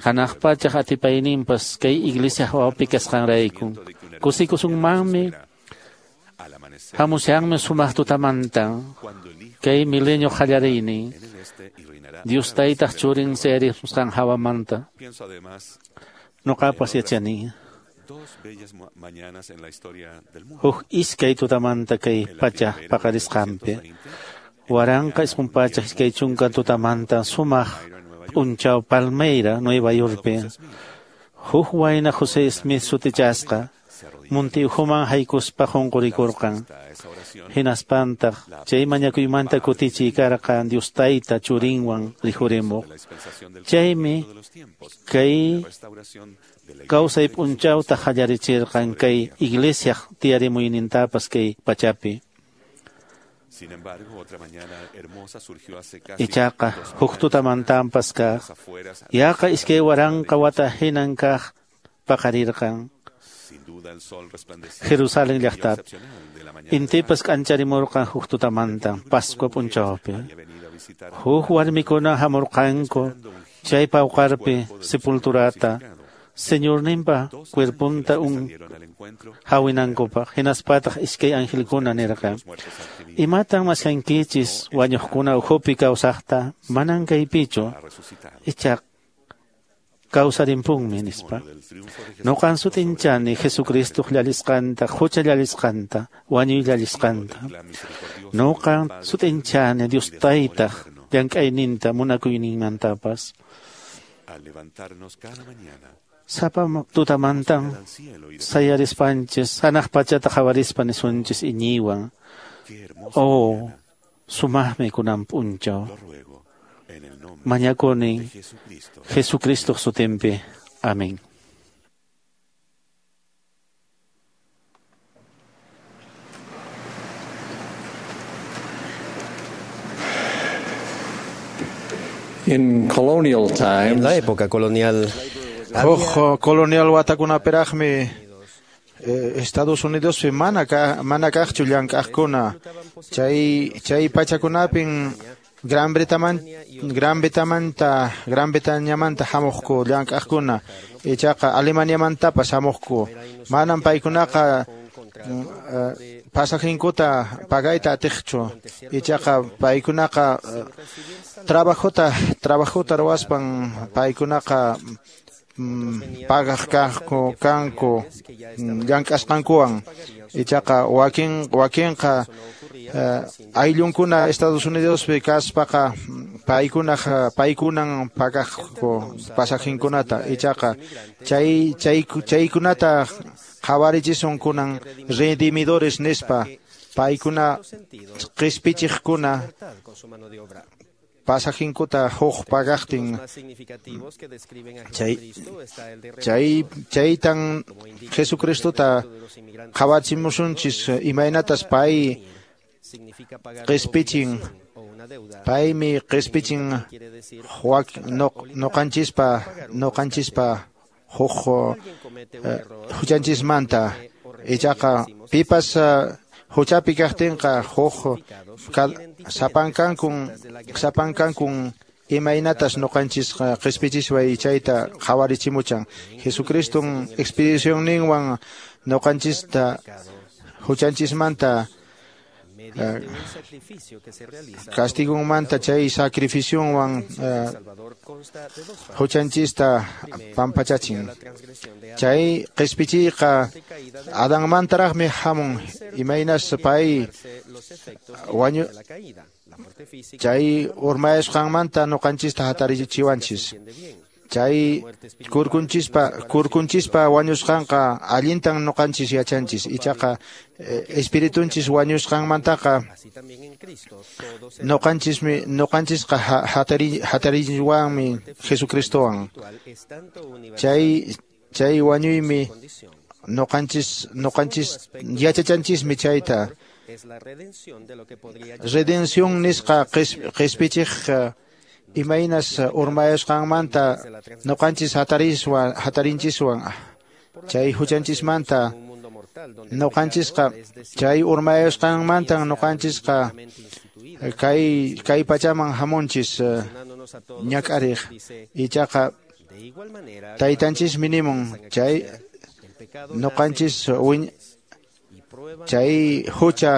Hanaq pachaq atipayninpas kay iglesia hawapi kasqanrayku. Kusikusunmanmi hamushanmi sumaq tutamantan kay milenio qallariynin. Dios taytaq churin sayarimusqan hawamanta. Nuqapas yachani. Huk iskay tutamanta kay pacha paqarisqanpi. 1920 tutamanta sumaq p'unchaw Palmeira, Nueva Yorkpi. Huk wayna José Smith sutichasqa munti ukhuman haykuspa qunqurikurqan. Hinaspantaq chay mañakuymanta kutichiy karqan Dios tayta churinwan rikhurimuq. Chaymi kay kawsay p'unchawta qallarichirqan kay iglesiaq tiyarimuynintapas kay pachapi. Ichaqa huk tutamantanpas kaq yaqa 2000 wata hinan kaq paqarirqan Jerusalén llaqtapi. Intipas k'ancharimurqan huk tutamantan Pascua p'unchawpi. Huk warmikuna hamurqanku chay pawqarpi sepulturata Señorninpa cuerpunta hawinankupaq. Hinaspataq iskay angelkuna nirqan: Imatan maskankichis wañuqkuna ukhupi kawsaqta? Manan kaypichu, ichaqa kawsarimpunmi nispa. Nuqan sutinchani Jesucristoq llalisqanta, hucha llalisqanta, wañuy llalisqanta. Nuqan sutinchani Dios taytaq llank'ayninta munakuyninmantapas. Sapa tutamantan sayarispanchis, hanaq pachata qhawarispa nisunchis iñiywan. Oh, sumaqmi kunan p'unchaw. Mañakuni Jesucristoq sutinpi. Amén. En la época colonial, Huk colonial watakunaperaqmi Estados Unidospi mana kaqchu llank'aqkuna. Chay pachakunapin Gran Bretañamanta hamuqku llank'aqkuna, ichaqa Alemaniamantapas hamuqku. Manan paykunaqa pasajinkuta pagayta atiqchu, ichaqa paykunaqa trabajota ruwaspan paykunaqa pagaq kanku llank'asqankuwan. Ichaqa wakinqa ayllunkuna Estados Unidospi kaspaqa paykunan pagaqku pasajinkunata. Ichaqa chaykunata qhawarichisun kunan redimidores nispa, paykuna qispichiqkuna pasajinkuta huk pagaqtin. Chaytan Jesucristota qhawachimusunchis imaynatas pay qispichin. Paymi qispichin noqanchispa huk huchanchismanta. Ichaqa pipas huchapi kaqtinqa huk sapankankun imaynatas noqanchis qispichispa chayta qhawarichimuchan. Jesucriston expedicionninwan noqanchista huchanchismanta castigunmanta chay sacrificionwan huchanchista pampachachin. Chay qispichiyqa Adanmantaraqmi hamun, imaynas pay wañu chay urmayasqanmanta noqanchista hatarichiwanchis. Chay kurkunchispa wañusqanqa allintan ñuqanchis yachanchis. Ichaqa espiritunchis wañusqanmantaqa ñuqanchisqa hatariwanmi Jesucristowan. Chay wañuymi ñuqanchis yachachanchismi chayta. Redención nisqa qhispichiq imaynas urmayasqanmanta ñuqanchis hatarinchiswan chay huchanchismanta ñuqanchisqa chay urmayasqanmantan ñuqanchisqa kay pachaman hamunchis ñak'ariq. Ichaqa taytanchismi nimun chay ñuqanchis chay hucha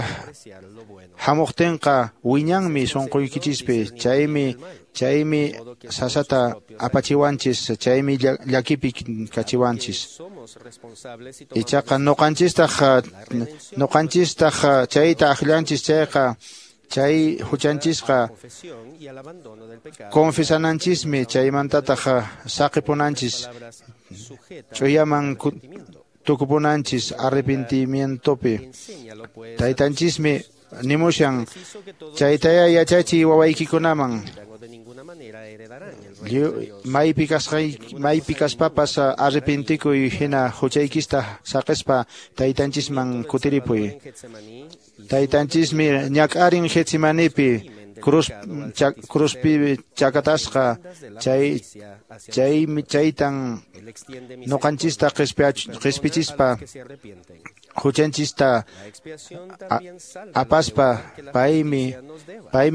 hamuqtinqa wiñanmi sunquykichispi. Chaymi sasata apachiwanchis, chaymi llakipi kachiwanchis. Ichaqa ñuqanchistaq chayta akllanchis chayqa chay huchanchisqa confesananchismi, chaymantataq saqipunanchis, ch'uyaman tukupunanchis arrepentimientopi. Taytanchismi nimushan chaytaya yachachiy wawaykikunaman. Maypi kaspapas arrepentikuy hina huchaykista saqispa taytanchisman kutiripuy. Taytanchismi ñak'arin Getsemanipi cruzpi chakatasqa chaytan ñuqanchista qhispichispa huchanchista apaspa paymi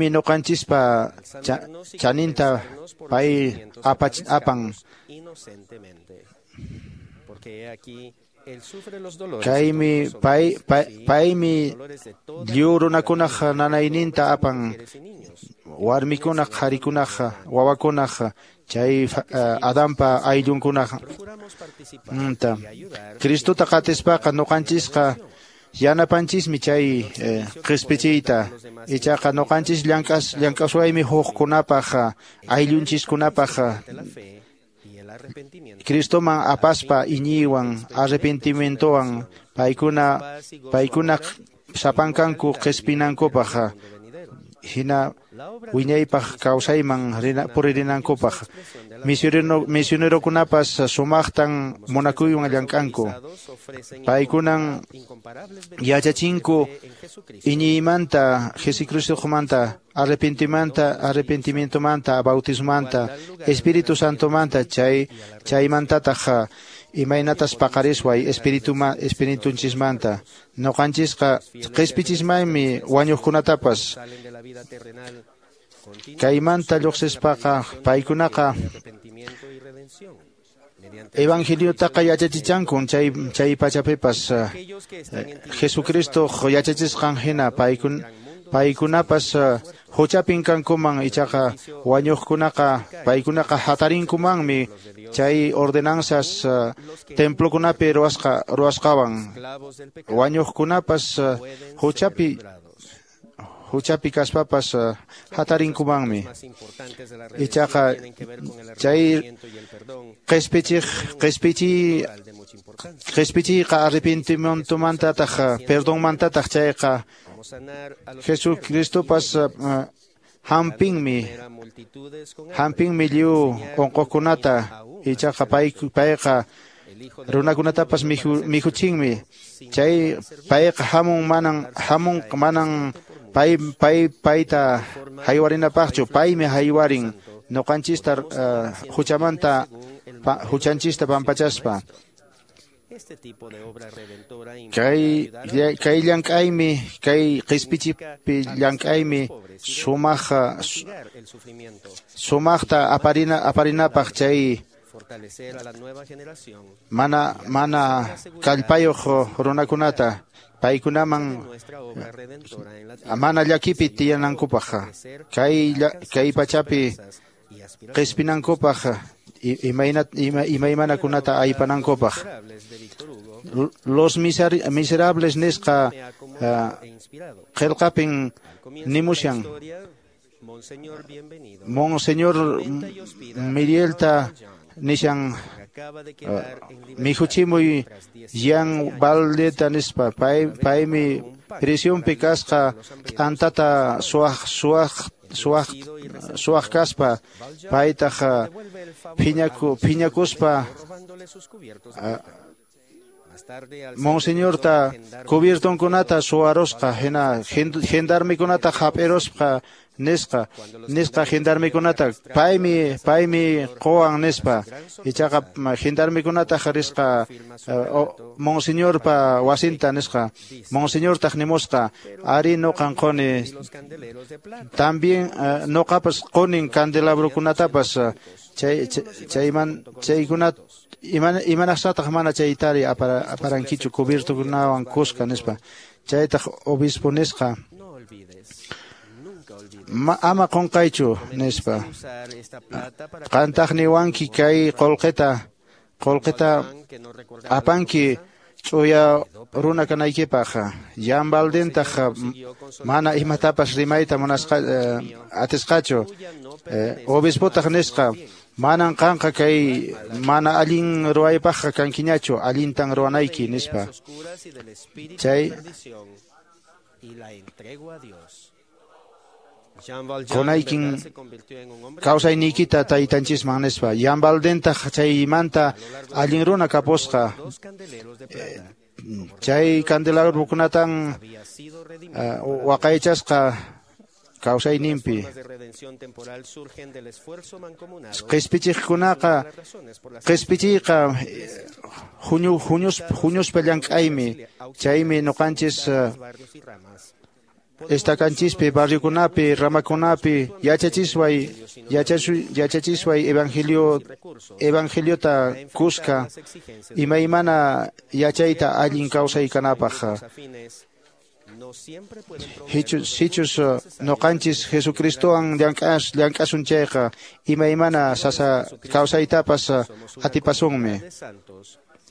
ñuqanchispa chaninta pay apan. Paymi lliw runakunaq nanayninta apan, warmikunaq, qharikunaq, wawakunaq, chay Adanpa ayllunkunaq. Cristota qatispaqa ñuqanchisqa yanapanchismi chay qhispichiyta. Ichaqa ñuqanchis llank'aswaymi hukkunapaq, ayllunchiskunapaq Cristoman apaspa iñiywan arrepentimientowan paykuna sapankanku qhispinankupaq hina wiñaypaq kawsayman puririnankupaq. Misionerokunapas sumaqtan munakuywan llank'anku. Paykunan yachachinku iñiymanta, Jesucristomanta, arrepentimientomanta, bautismanta, Espíritu Santomanta, chaymantataq imaynatas paqarisway espiritunchismanta. Ñuqanchisqa qhispichismanmi wañuqkunatapas. Kaymanta lluqsispaqa paykunaqa evangeliotaqa yachachichankun chay pachapipas Jesucristo yachachisqan hina paykunapas huchapin kankuman. Ichaqa wañuqkunaqa paykunaqa hatarinkumanmi chay ordenanzas templokunapi ruwasqawan. Wañuqkunapas huchapi kaspapas hatarinkumanmi. Ichaqa chay qhispichiyqa arrepentimientomantataq perdonmantataq chayqa Jesucristopas hampinmi lliw unquqkunata. Ichaqa payqa runakunatapas mikhuchinmi. Chay payqa hamun manan payta haywarinapaqchu, paymi haywarin ñuqanchista huchanchista pampachaspa. Kay llank'aymi, kay qhispichipi llank'aymi sumaqta aparinapaq chay mana kallpayuq runakunata paykunaman mana llakipi tiyanankupaq, kay pachapi qispinankupaq, imaymanakunata aypanankupaq. Los Miserables nisqa qillqapin nimushan Monseñor Mirielta nishan mikhuchimuy Jean Valdeta nispa paymi prisionpi kasqa t'antata suwaq kaspa paytaq phiñakuspa Monseñorta cubiertonkunata suwarusqa hina gendarmekunata hap'irusqa nisqa gendarmekunata paymi quwan nispa ichaqa gendarmekunata risqa Monseñorpa wasinta nisqa Monseñortaq nimusqa ari nuqan quni también nuqapas qunin candelabrokunatapas chaykunata imanaqsataq mana chaytari aparankichu cubiertokunawan kuska nispa chaytaq obispo nisqa ama qunqaychu nispa qantaq niwanki kay qullqita apanki ch'uya runa kanaykipaq Jean Valdentaq mana imatapas rimayta munasqa atisqachu obispotaq nisqa manan qanqa kay mana allin ruwaypaqqa kankiñachu allintan ruwanayki nispa chay qunaykin kawsayniykita taytanchisman nispa Jean Valdentaq chaymanta allin runa kapusqa chay candelabrokunatan waqaychasqa kawsayninpi qispichiqkunaqa qispichiyqa huñuspa llank'aymi chaymi ñuqanchis estakanchispi barriokunapi ramakunapi yachachisway evangeliota kuska imaymana yachayta allin kawsay kanapaq sichus ñuqanchis Jesucristowan llank'asun chayqa imaymana sasa kawsaytapas atipasunmi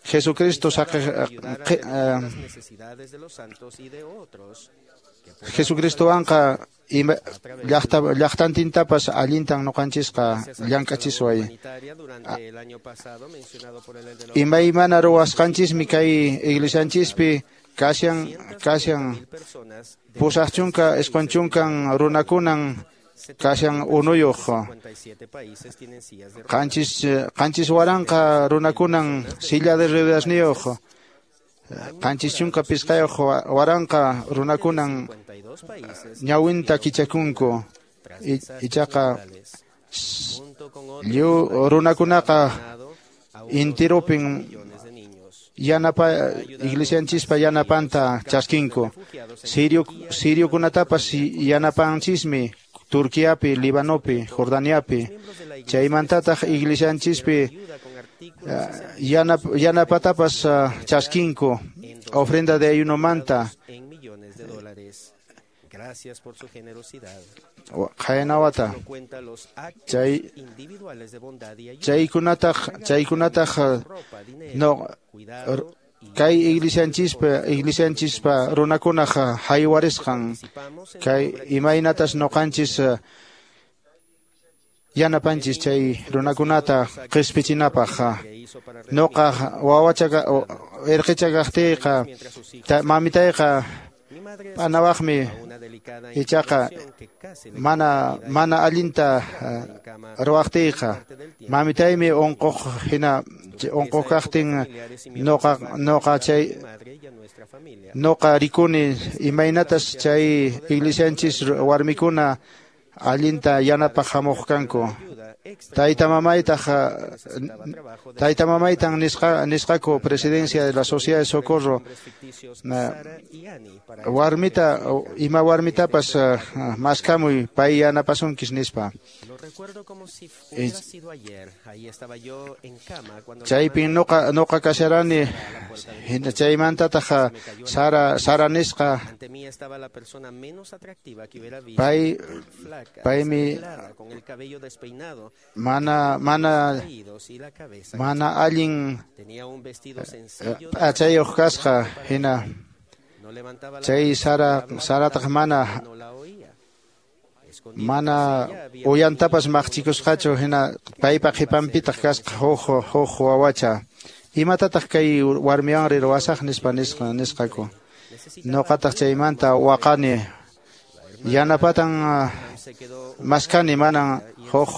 Jesucristo Jesucristowanqa llaqtantintapas allintan ñuqanchisqa llank'achisway imaymana ruwasqanchismi kay iglesianchispi kashan 89 runakunan kashan unuyuq 7,000 runakunan silla de ruedasniyuq 75,000 runakunan ñawinta kichakunku ichaqa lliw runakunaqa intirupin yanapa iglesianchispa yanapanta chaskinku siriokunatapas yanapanchismi Turquiapi, Libanopi, Jordaniapi chaymantataq iglesianchispi yanapatapas chaskinku ofrenda de ayunomanta qhayanawata chaykunataq no kay iglesianchispa runakunaq haywarisqan kay imaynatas ñuqanchis yanapanchis chay runakunata qispichinapaq ñuqa wawacha irqicha kaqtiyqa mamitayqa p'anawaqmi ichaqa mana allinta ruwaqtiyqa mamitaymi unquq hina unquq kaqtin ñuqa rikuni imaynatas chay iglesianchis warmikuna allinta yanapaq hamuq kanku tayta mamaytan nisqaku presidencia de la Sociedad de Socorro warmita ima warmitapas maskamuy pay yanapasunkis nispa chaypin ñuqa kasharani chaymantataq Sara nisqa paymi mana allin p'achayuq kasqa hina chay Sarataq mana Mana uyantapas maqchikusqachu hina paypa qhipanpitaq kasqa huk wawacha. Imatataq kay warmiwanri ruwasaq nispa nisqaku. Ñuqataq chaymanta waqani. Yanapatan maskani manan huk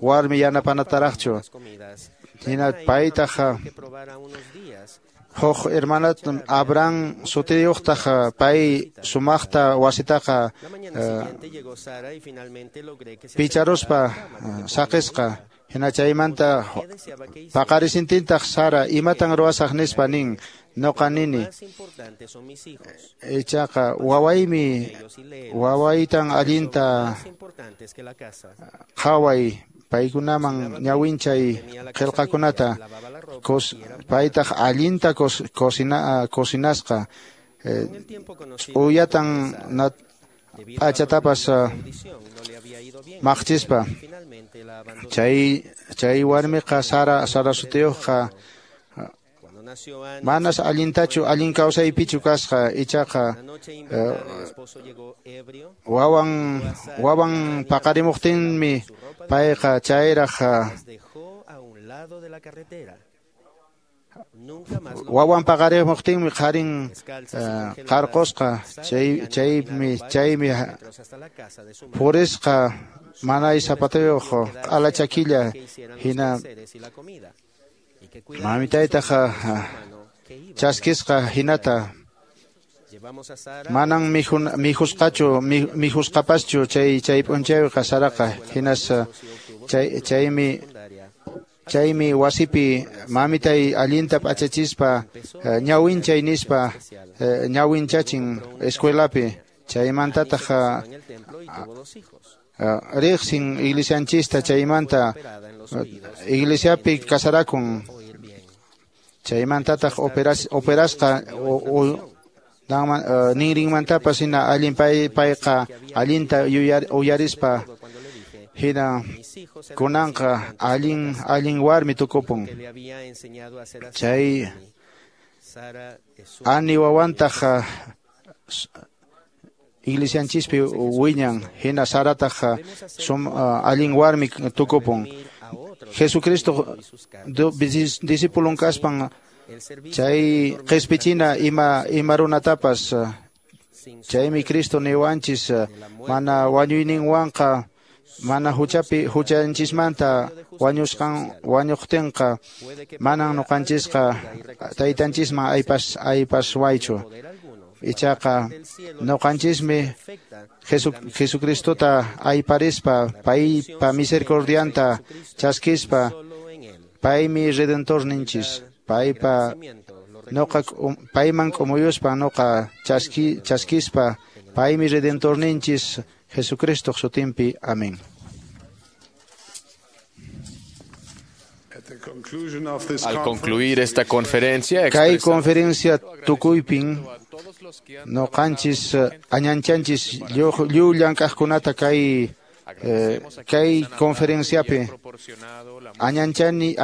warmi yanapanataraqchu. Hina paytaq huk hermanat Abraham sutiyuqtaq pay sumaqta wasitaqa picharuspa saqisqa. Hina chaymanta paqarisintintaq Sara imatan ruwasaq nispa nin noqa nini. Ichaqa wawaymi wawaytan allinta qhaway paykunaman ñawinchay qillqakunata paytaq allinta cocinasqa uyatan p'achatapas maqchispa. Chay warmiqa Sara sutiyuqqa manas allintachu allin kawsaypichu kasqa ichaqa wawan paqarimuqtinmi payqa chayraq wawan paqarimuqtinmi qharin qarqusqa chaymi purisqa manay zapatiyuq q'ala chakilla hina mamitaytaq chaskisqa hinata manan mijusqachu mijusqapaschu chay p'unchayqa Saraqa hinas chaymi wasipi mamitay allinta p'achachispa ñawinchay nispa ñawinchachin escuelapi chaymantataq riqsin iglesianchista chaymanta iglesiapi kasarakun chaymantataq operasqa ninrinmantapas hina allin payqa allinta uyarispa hina kunanqa allin warmi tukupun. Chay ani wawantaq iglesianchispi wiñan hina Sarataq allin warmi tukupun. Jesucristo discipulun kaspan chay qhispichina ima runatapas chaymi Cristo niwanchis mana wañuyninwanqa mana huchapi huchanchismanta wañuqtinqa manan ñuqanchisqa taytanchisman aypaswaychu. Ichaqa ñuqanchismi Jesucristota ayparispa paypa misericordianta chaskispa paymi redentorninchis paypa noqa payman k'umuyuspa noqa chaskispa paymi redentorninchis Jesucristo sutinpi. Amén. Al concluir esta conferencia, kay conferencia tukuypin noqanchis añanchanchis lliw llank'aqkunata kay conferenciapi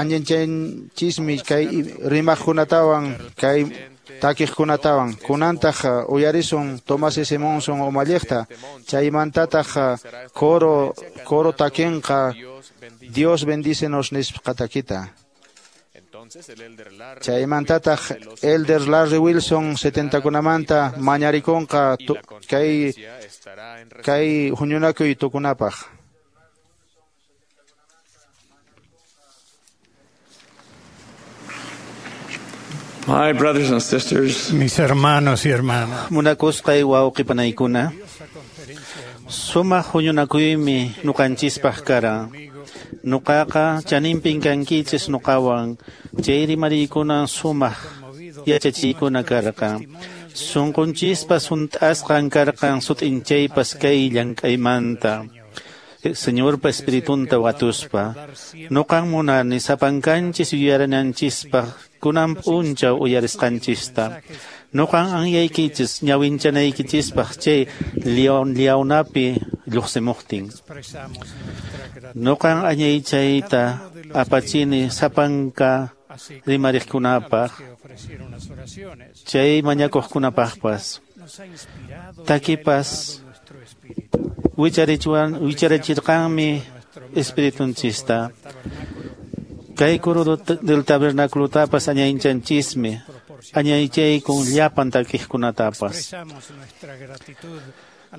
añanchanchismi kay rimaqkunatawan kay takiqkunatawan. Kunantaq uyarisun Tomás S. Monson umalliqta chaymantataq coro takinqa Dios bendícenos nisqa takita. Chaymantataq Elder Larry Wilson 70kunamanta mañarikunqa kay huñunakuy tukunapaq. My brothers and sisters, mis hermanos y hermanas, munakusqay wawqipanaykuna, sumaq huñunakuymi ñuqanchispaq karan. Nuqaqa chaninpin kankichis nuqawan, chay rimariykunan sumaq yachachiykuna karqan. Sunqunchispas hunt'asqan karqan sut'inchaypas kay llank'aymanta. Señorpa espiritunta watuspa. Nuqan munani sapankanchis yuyarinanchispaq kunan p'unchaw uyarisqanchista. Nuqan anyaykichis ñawinchanaykichispaq chay liawnapi lluqsimuqtin. Nuqan añaychayta apachini sapanka rimariqkunapaq chay mañakuqkunapaqpas. Takipas Wicharachirqanmi espiritunchista. Kay coro del tabernáculotapas añaychanchismi, añaychaykun llapan takiqkunatapas.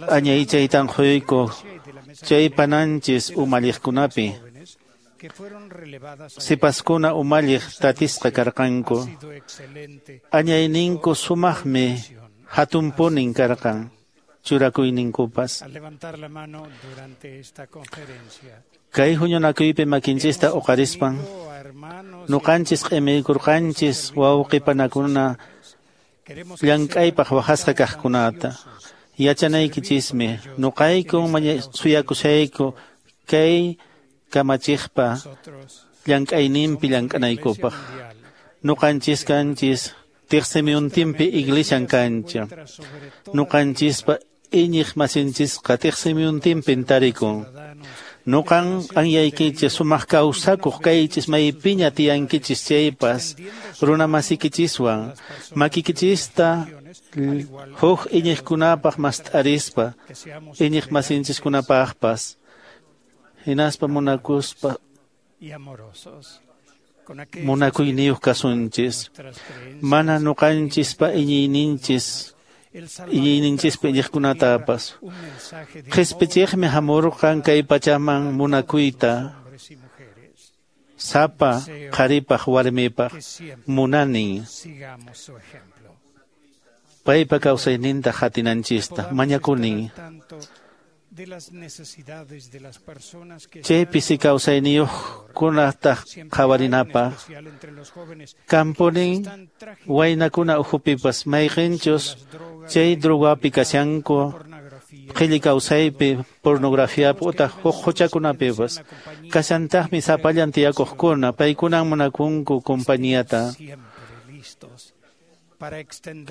Añaychaytan quyku chay pananchis umalliqkunapi. Sipaskuna umalliq tatisqa karqanku. Añayninku sumaqmi hatunpunin karqan churakuyninkupas. Kay huñunakuypi makinchista uqarispan nuqanchis q'imiykurqanchis wawqipanakuna llank'aypaq waqasqa kaqkunata. Yachanaykichismi nuqaykun suyakushayku kay kamachiqpa llank'ayninpi llank'anaykupaq. Nuqanchis kanchis tiqsimiyuntinpi iglesian kancha. Nuqanchispa iñiq masinchisqa tiqsimiyuntinpin tarikun. Nuqan anyaykichis sumaq kawsakuq kaychis maypiña tiyankichis chaypas runamasikichiswan makikichista huk iñiqkunapaq mast'arispa iñiq masinchiskunapaqpas hinaspa munakuspa munakuyniyuq kasunchis. Mana nuqanchispa iñiyninchispa iñiqkunatapas. Qhispichiqmi hamurqan kay pachaman munakuyta sapa qharipaq warmipaq munanin. Paypa kawsayninta qatinanchista mañakunin. Chay pisi kawsayniyuqkunataq qhawarinapaq. Kampunin waynakuna ukhupipas mayqinchus chay drogapi kashanku qhilli kawsaypi pornografiapi utaq huk huchakunapipas. Kashantaqmi sapallan tiyakuqkuna paykunan munakunku compañiata.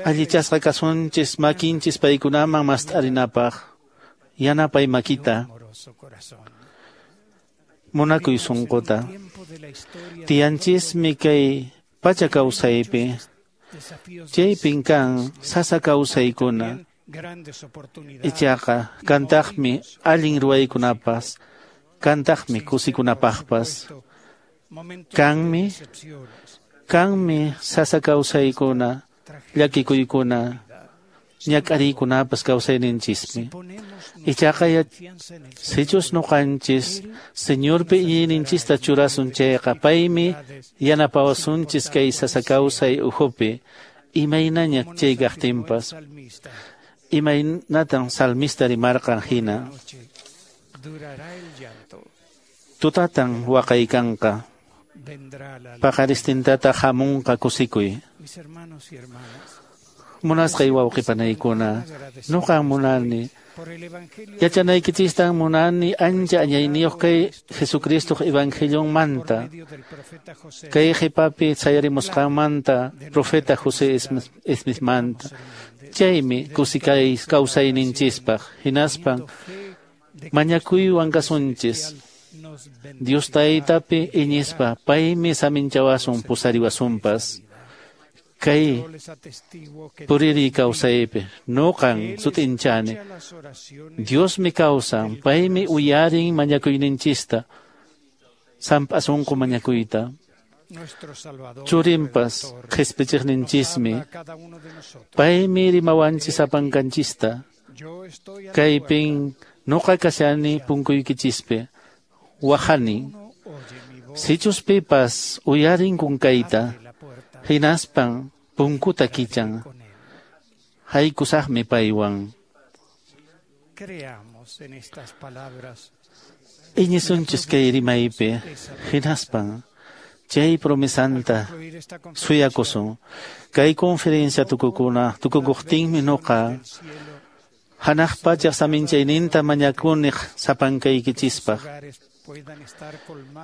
Allichasqa kasunchis makinchis paykunaman mast'arinapaq. Yanapay makita, munakuy sunquta. Tiyanchismi kay pacha kawsaypi, chaypin kan sasa kawsaykuna. Ichaqa kantaqmi allin ruwaykunapas, kantaqmi kusikunapaqpas. Kanmi sasa kawsaykuna, llakikuykuna, ñak'ariykunapas kawsayninchismi. Ichaqa sichus nuqanchis Señorpi iñiyninchista churasun chayqa paymi yanapawasunchis kay sasa kawsay ukhupi imaynaña chay kaqtinpas. Imaynatan salmista rimarqan hina. Tutatan waqaykanqa, paqaristintataq hamunqa kusikuy. Munasqay wawqipanaykuna, nuqan munani yachanaykichistan munani ancha añayniyuq kay Jesucristoq evangelionmanta, kay qhipapi sayarimusqanmanta profeta José Smithmanta. Chaymi kusikay kawsayninchispaq hinaspan mañakuywan kasunchis. Dios Taytapi iñispa paymi saminchawasun pusariwasunpas. Kay puriri kawsaypi nuqan sut'inchani Diosmi kawsan paymi uyarin mañakuyninchista samp'asunqu mañakuyta. Churinpas qhispichiqninchismi paymi rimawanchis sapankanchista. Kaypin nuqa kashani punkuykichispi waqani. Sichus pipas uyarin kunkayta hinaspan punkuta kichan, haykusaqmi paywan. Iñisunchis kay rimaypi hinaspan chay promesanta suyakusun. Kay conferencia tukukuqtinmi nuqa hanaq pachaq saminchayninta mañakuni sapankaykichispaq.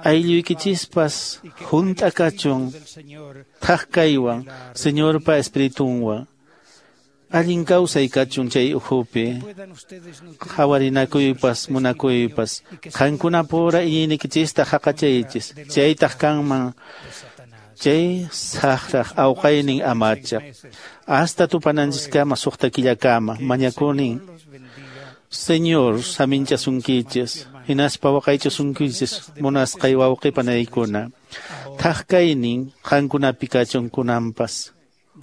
Aylluykichispas hunt'a kachun thak kaywan Señorpa espiritunwan. Allin kawsay kachun chay ukhupi, qhawarinakuypas munakuypas. Qankunapura iñiynikichista haqachaychis, chaytaq kanman chay saqraq awqaynin amacha. Hasta tupananchiskama suqta killakama mañakunin. Señor saminchasunkichis, hinaspa waqaychasunkichis munasqay wawqi panaykuna. Thak kaynin qankunapi kachun kunanpas,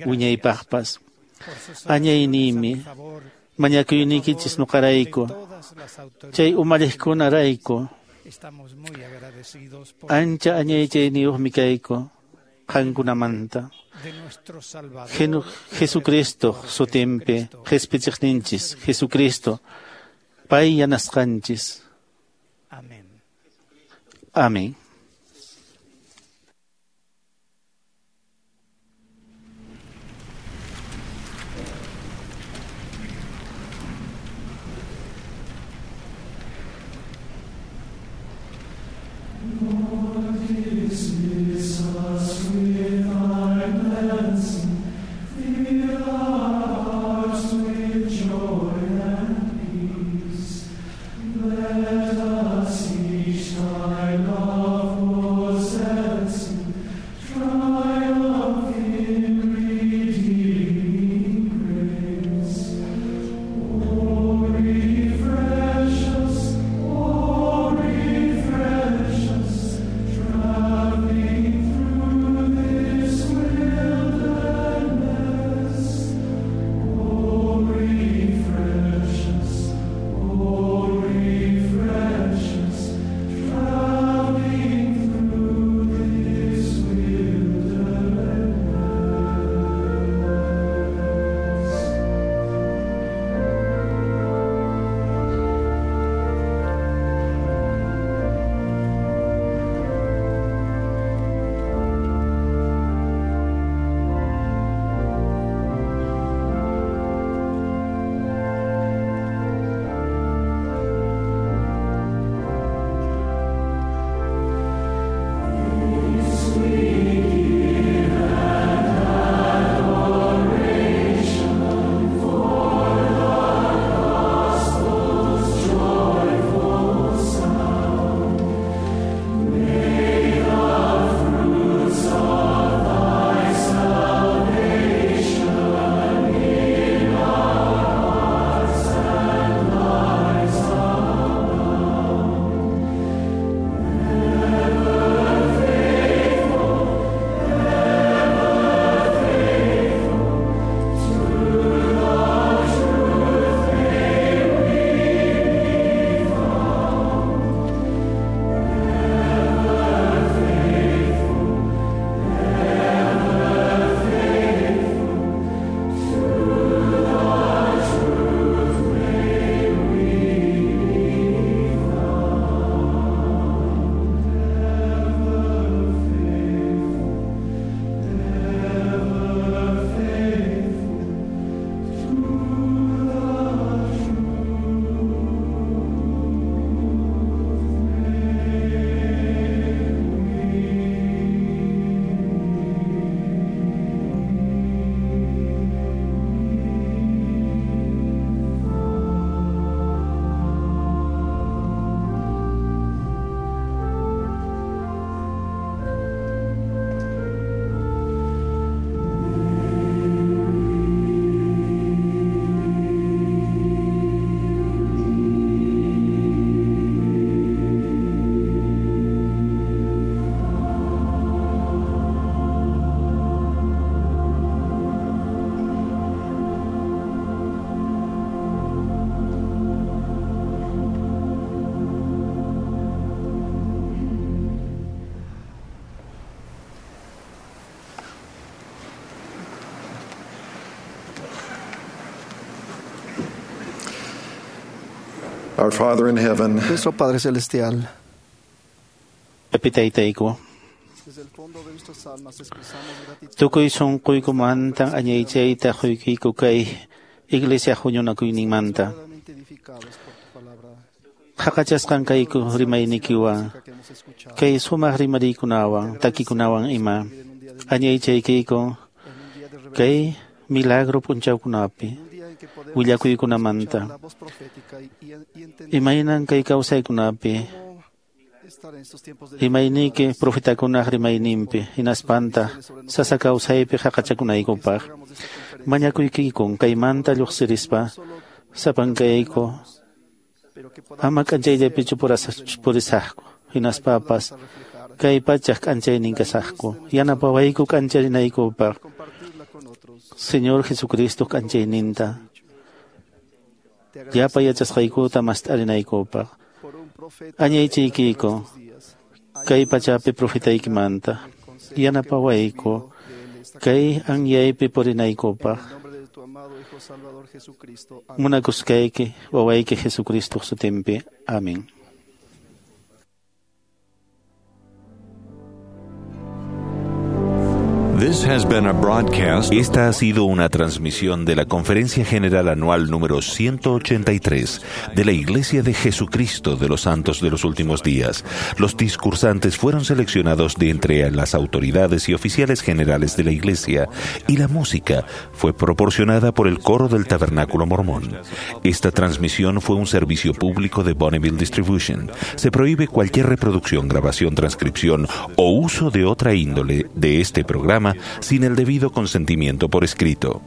wiñaypaqpas. Añayniymi, mañakuynikichis nuqarayku, chay umalliqkunarayku. Ancha añaychayniyuqmi kayku qankunamanta. Jesucristo sutinpi qhispichiqninchis, Jesucristo pay yanasqanchis. Amén. Our Father in heaven, Nuestro Padre Celestial, Epitaytayku. Tukuy sunquykumanta añaychayta quykiku kay iglesia huñunakuyninmanta. Qhaqachasqan kayku rimaynikiwan, kay sumaq rimariykunawan, takikunawan ima. Añaychaykiyku kay milagro p'unchawkunapi willakuykunamanta. Imaynan kay kawsaykunapi rimayniyki profetakunaq rimayninpi hinaspanta sasa kawsaypi haqachakunaykupaq mañakuykikun kaymanta lluqsirispa sapankayku Ama k'anchayllapichu purisaqku, hinaspapas kay pachaq k'anchaynin kasaqku. Yanapawayku k'ancharinaykupaq Señor Jesucristo k'anchayninta. Llapa yachasqaykuta mast'arinaykupaq. Añaychiykiku kay pachapi profetaykimanta. Yanapawayku kay anyaypi purinaykupaq. Munakusqayki wawayki Jesucristo sutinpi. Amén. Esta ha sido una transmisión de la Conferencia General Anual número 183 de la Iglesia de Jesucristo de los Santos de los Últimos Días. Los discursantes fueron seleccionados de entre las autoridades y oficiales generales de la Iglesia y la música fue proporcionada por el coro del Tabernáculo Mormón. Esta transmisión fue un servicio público de Bonneville Distribution. Se prohíbe cualquier reproducción, grabación, transcripción o uso de otra índole de este programa sin el debido consentimiento por escrito.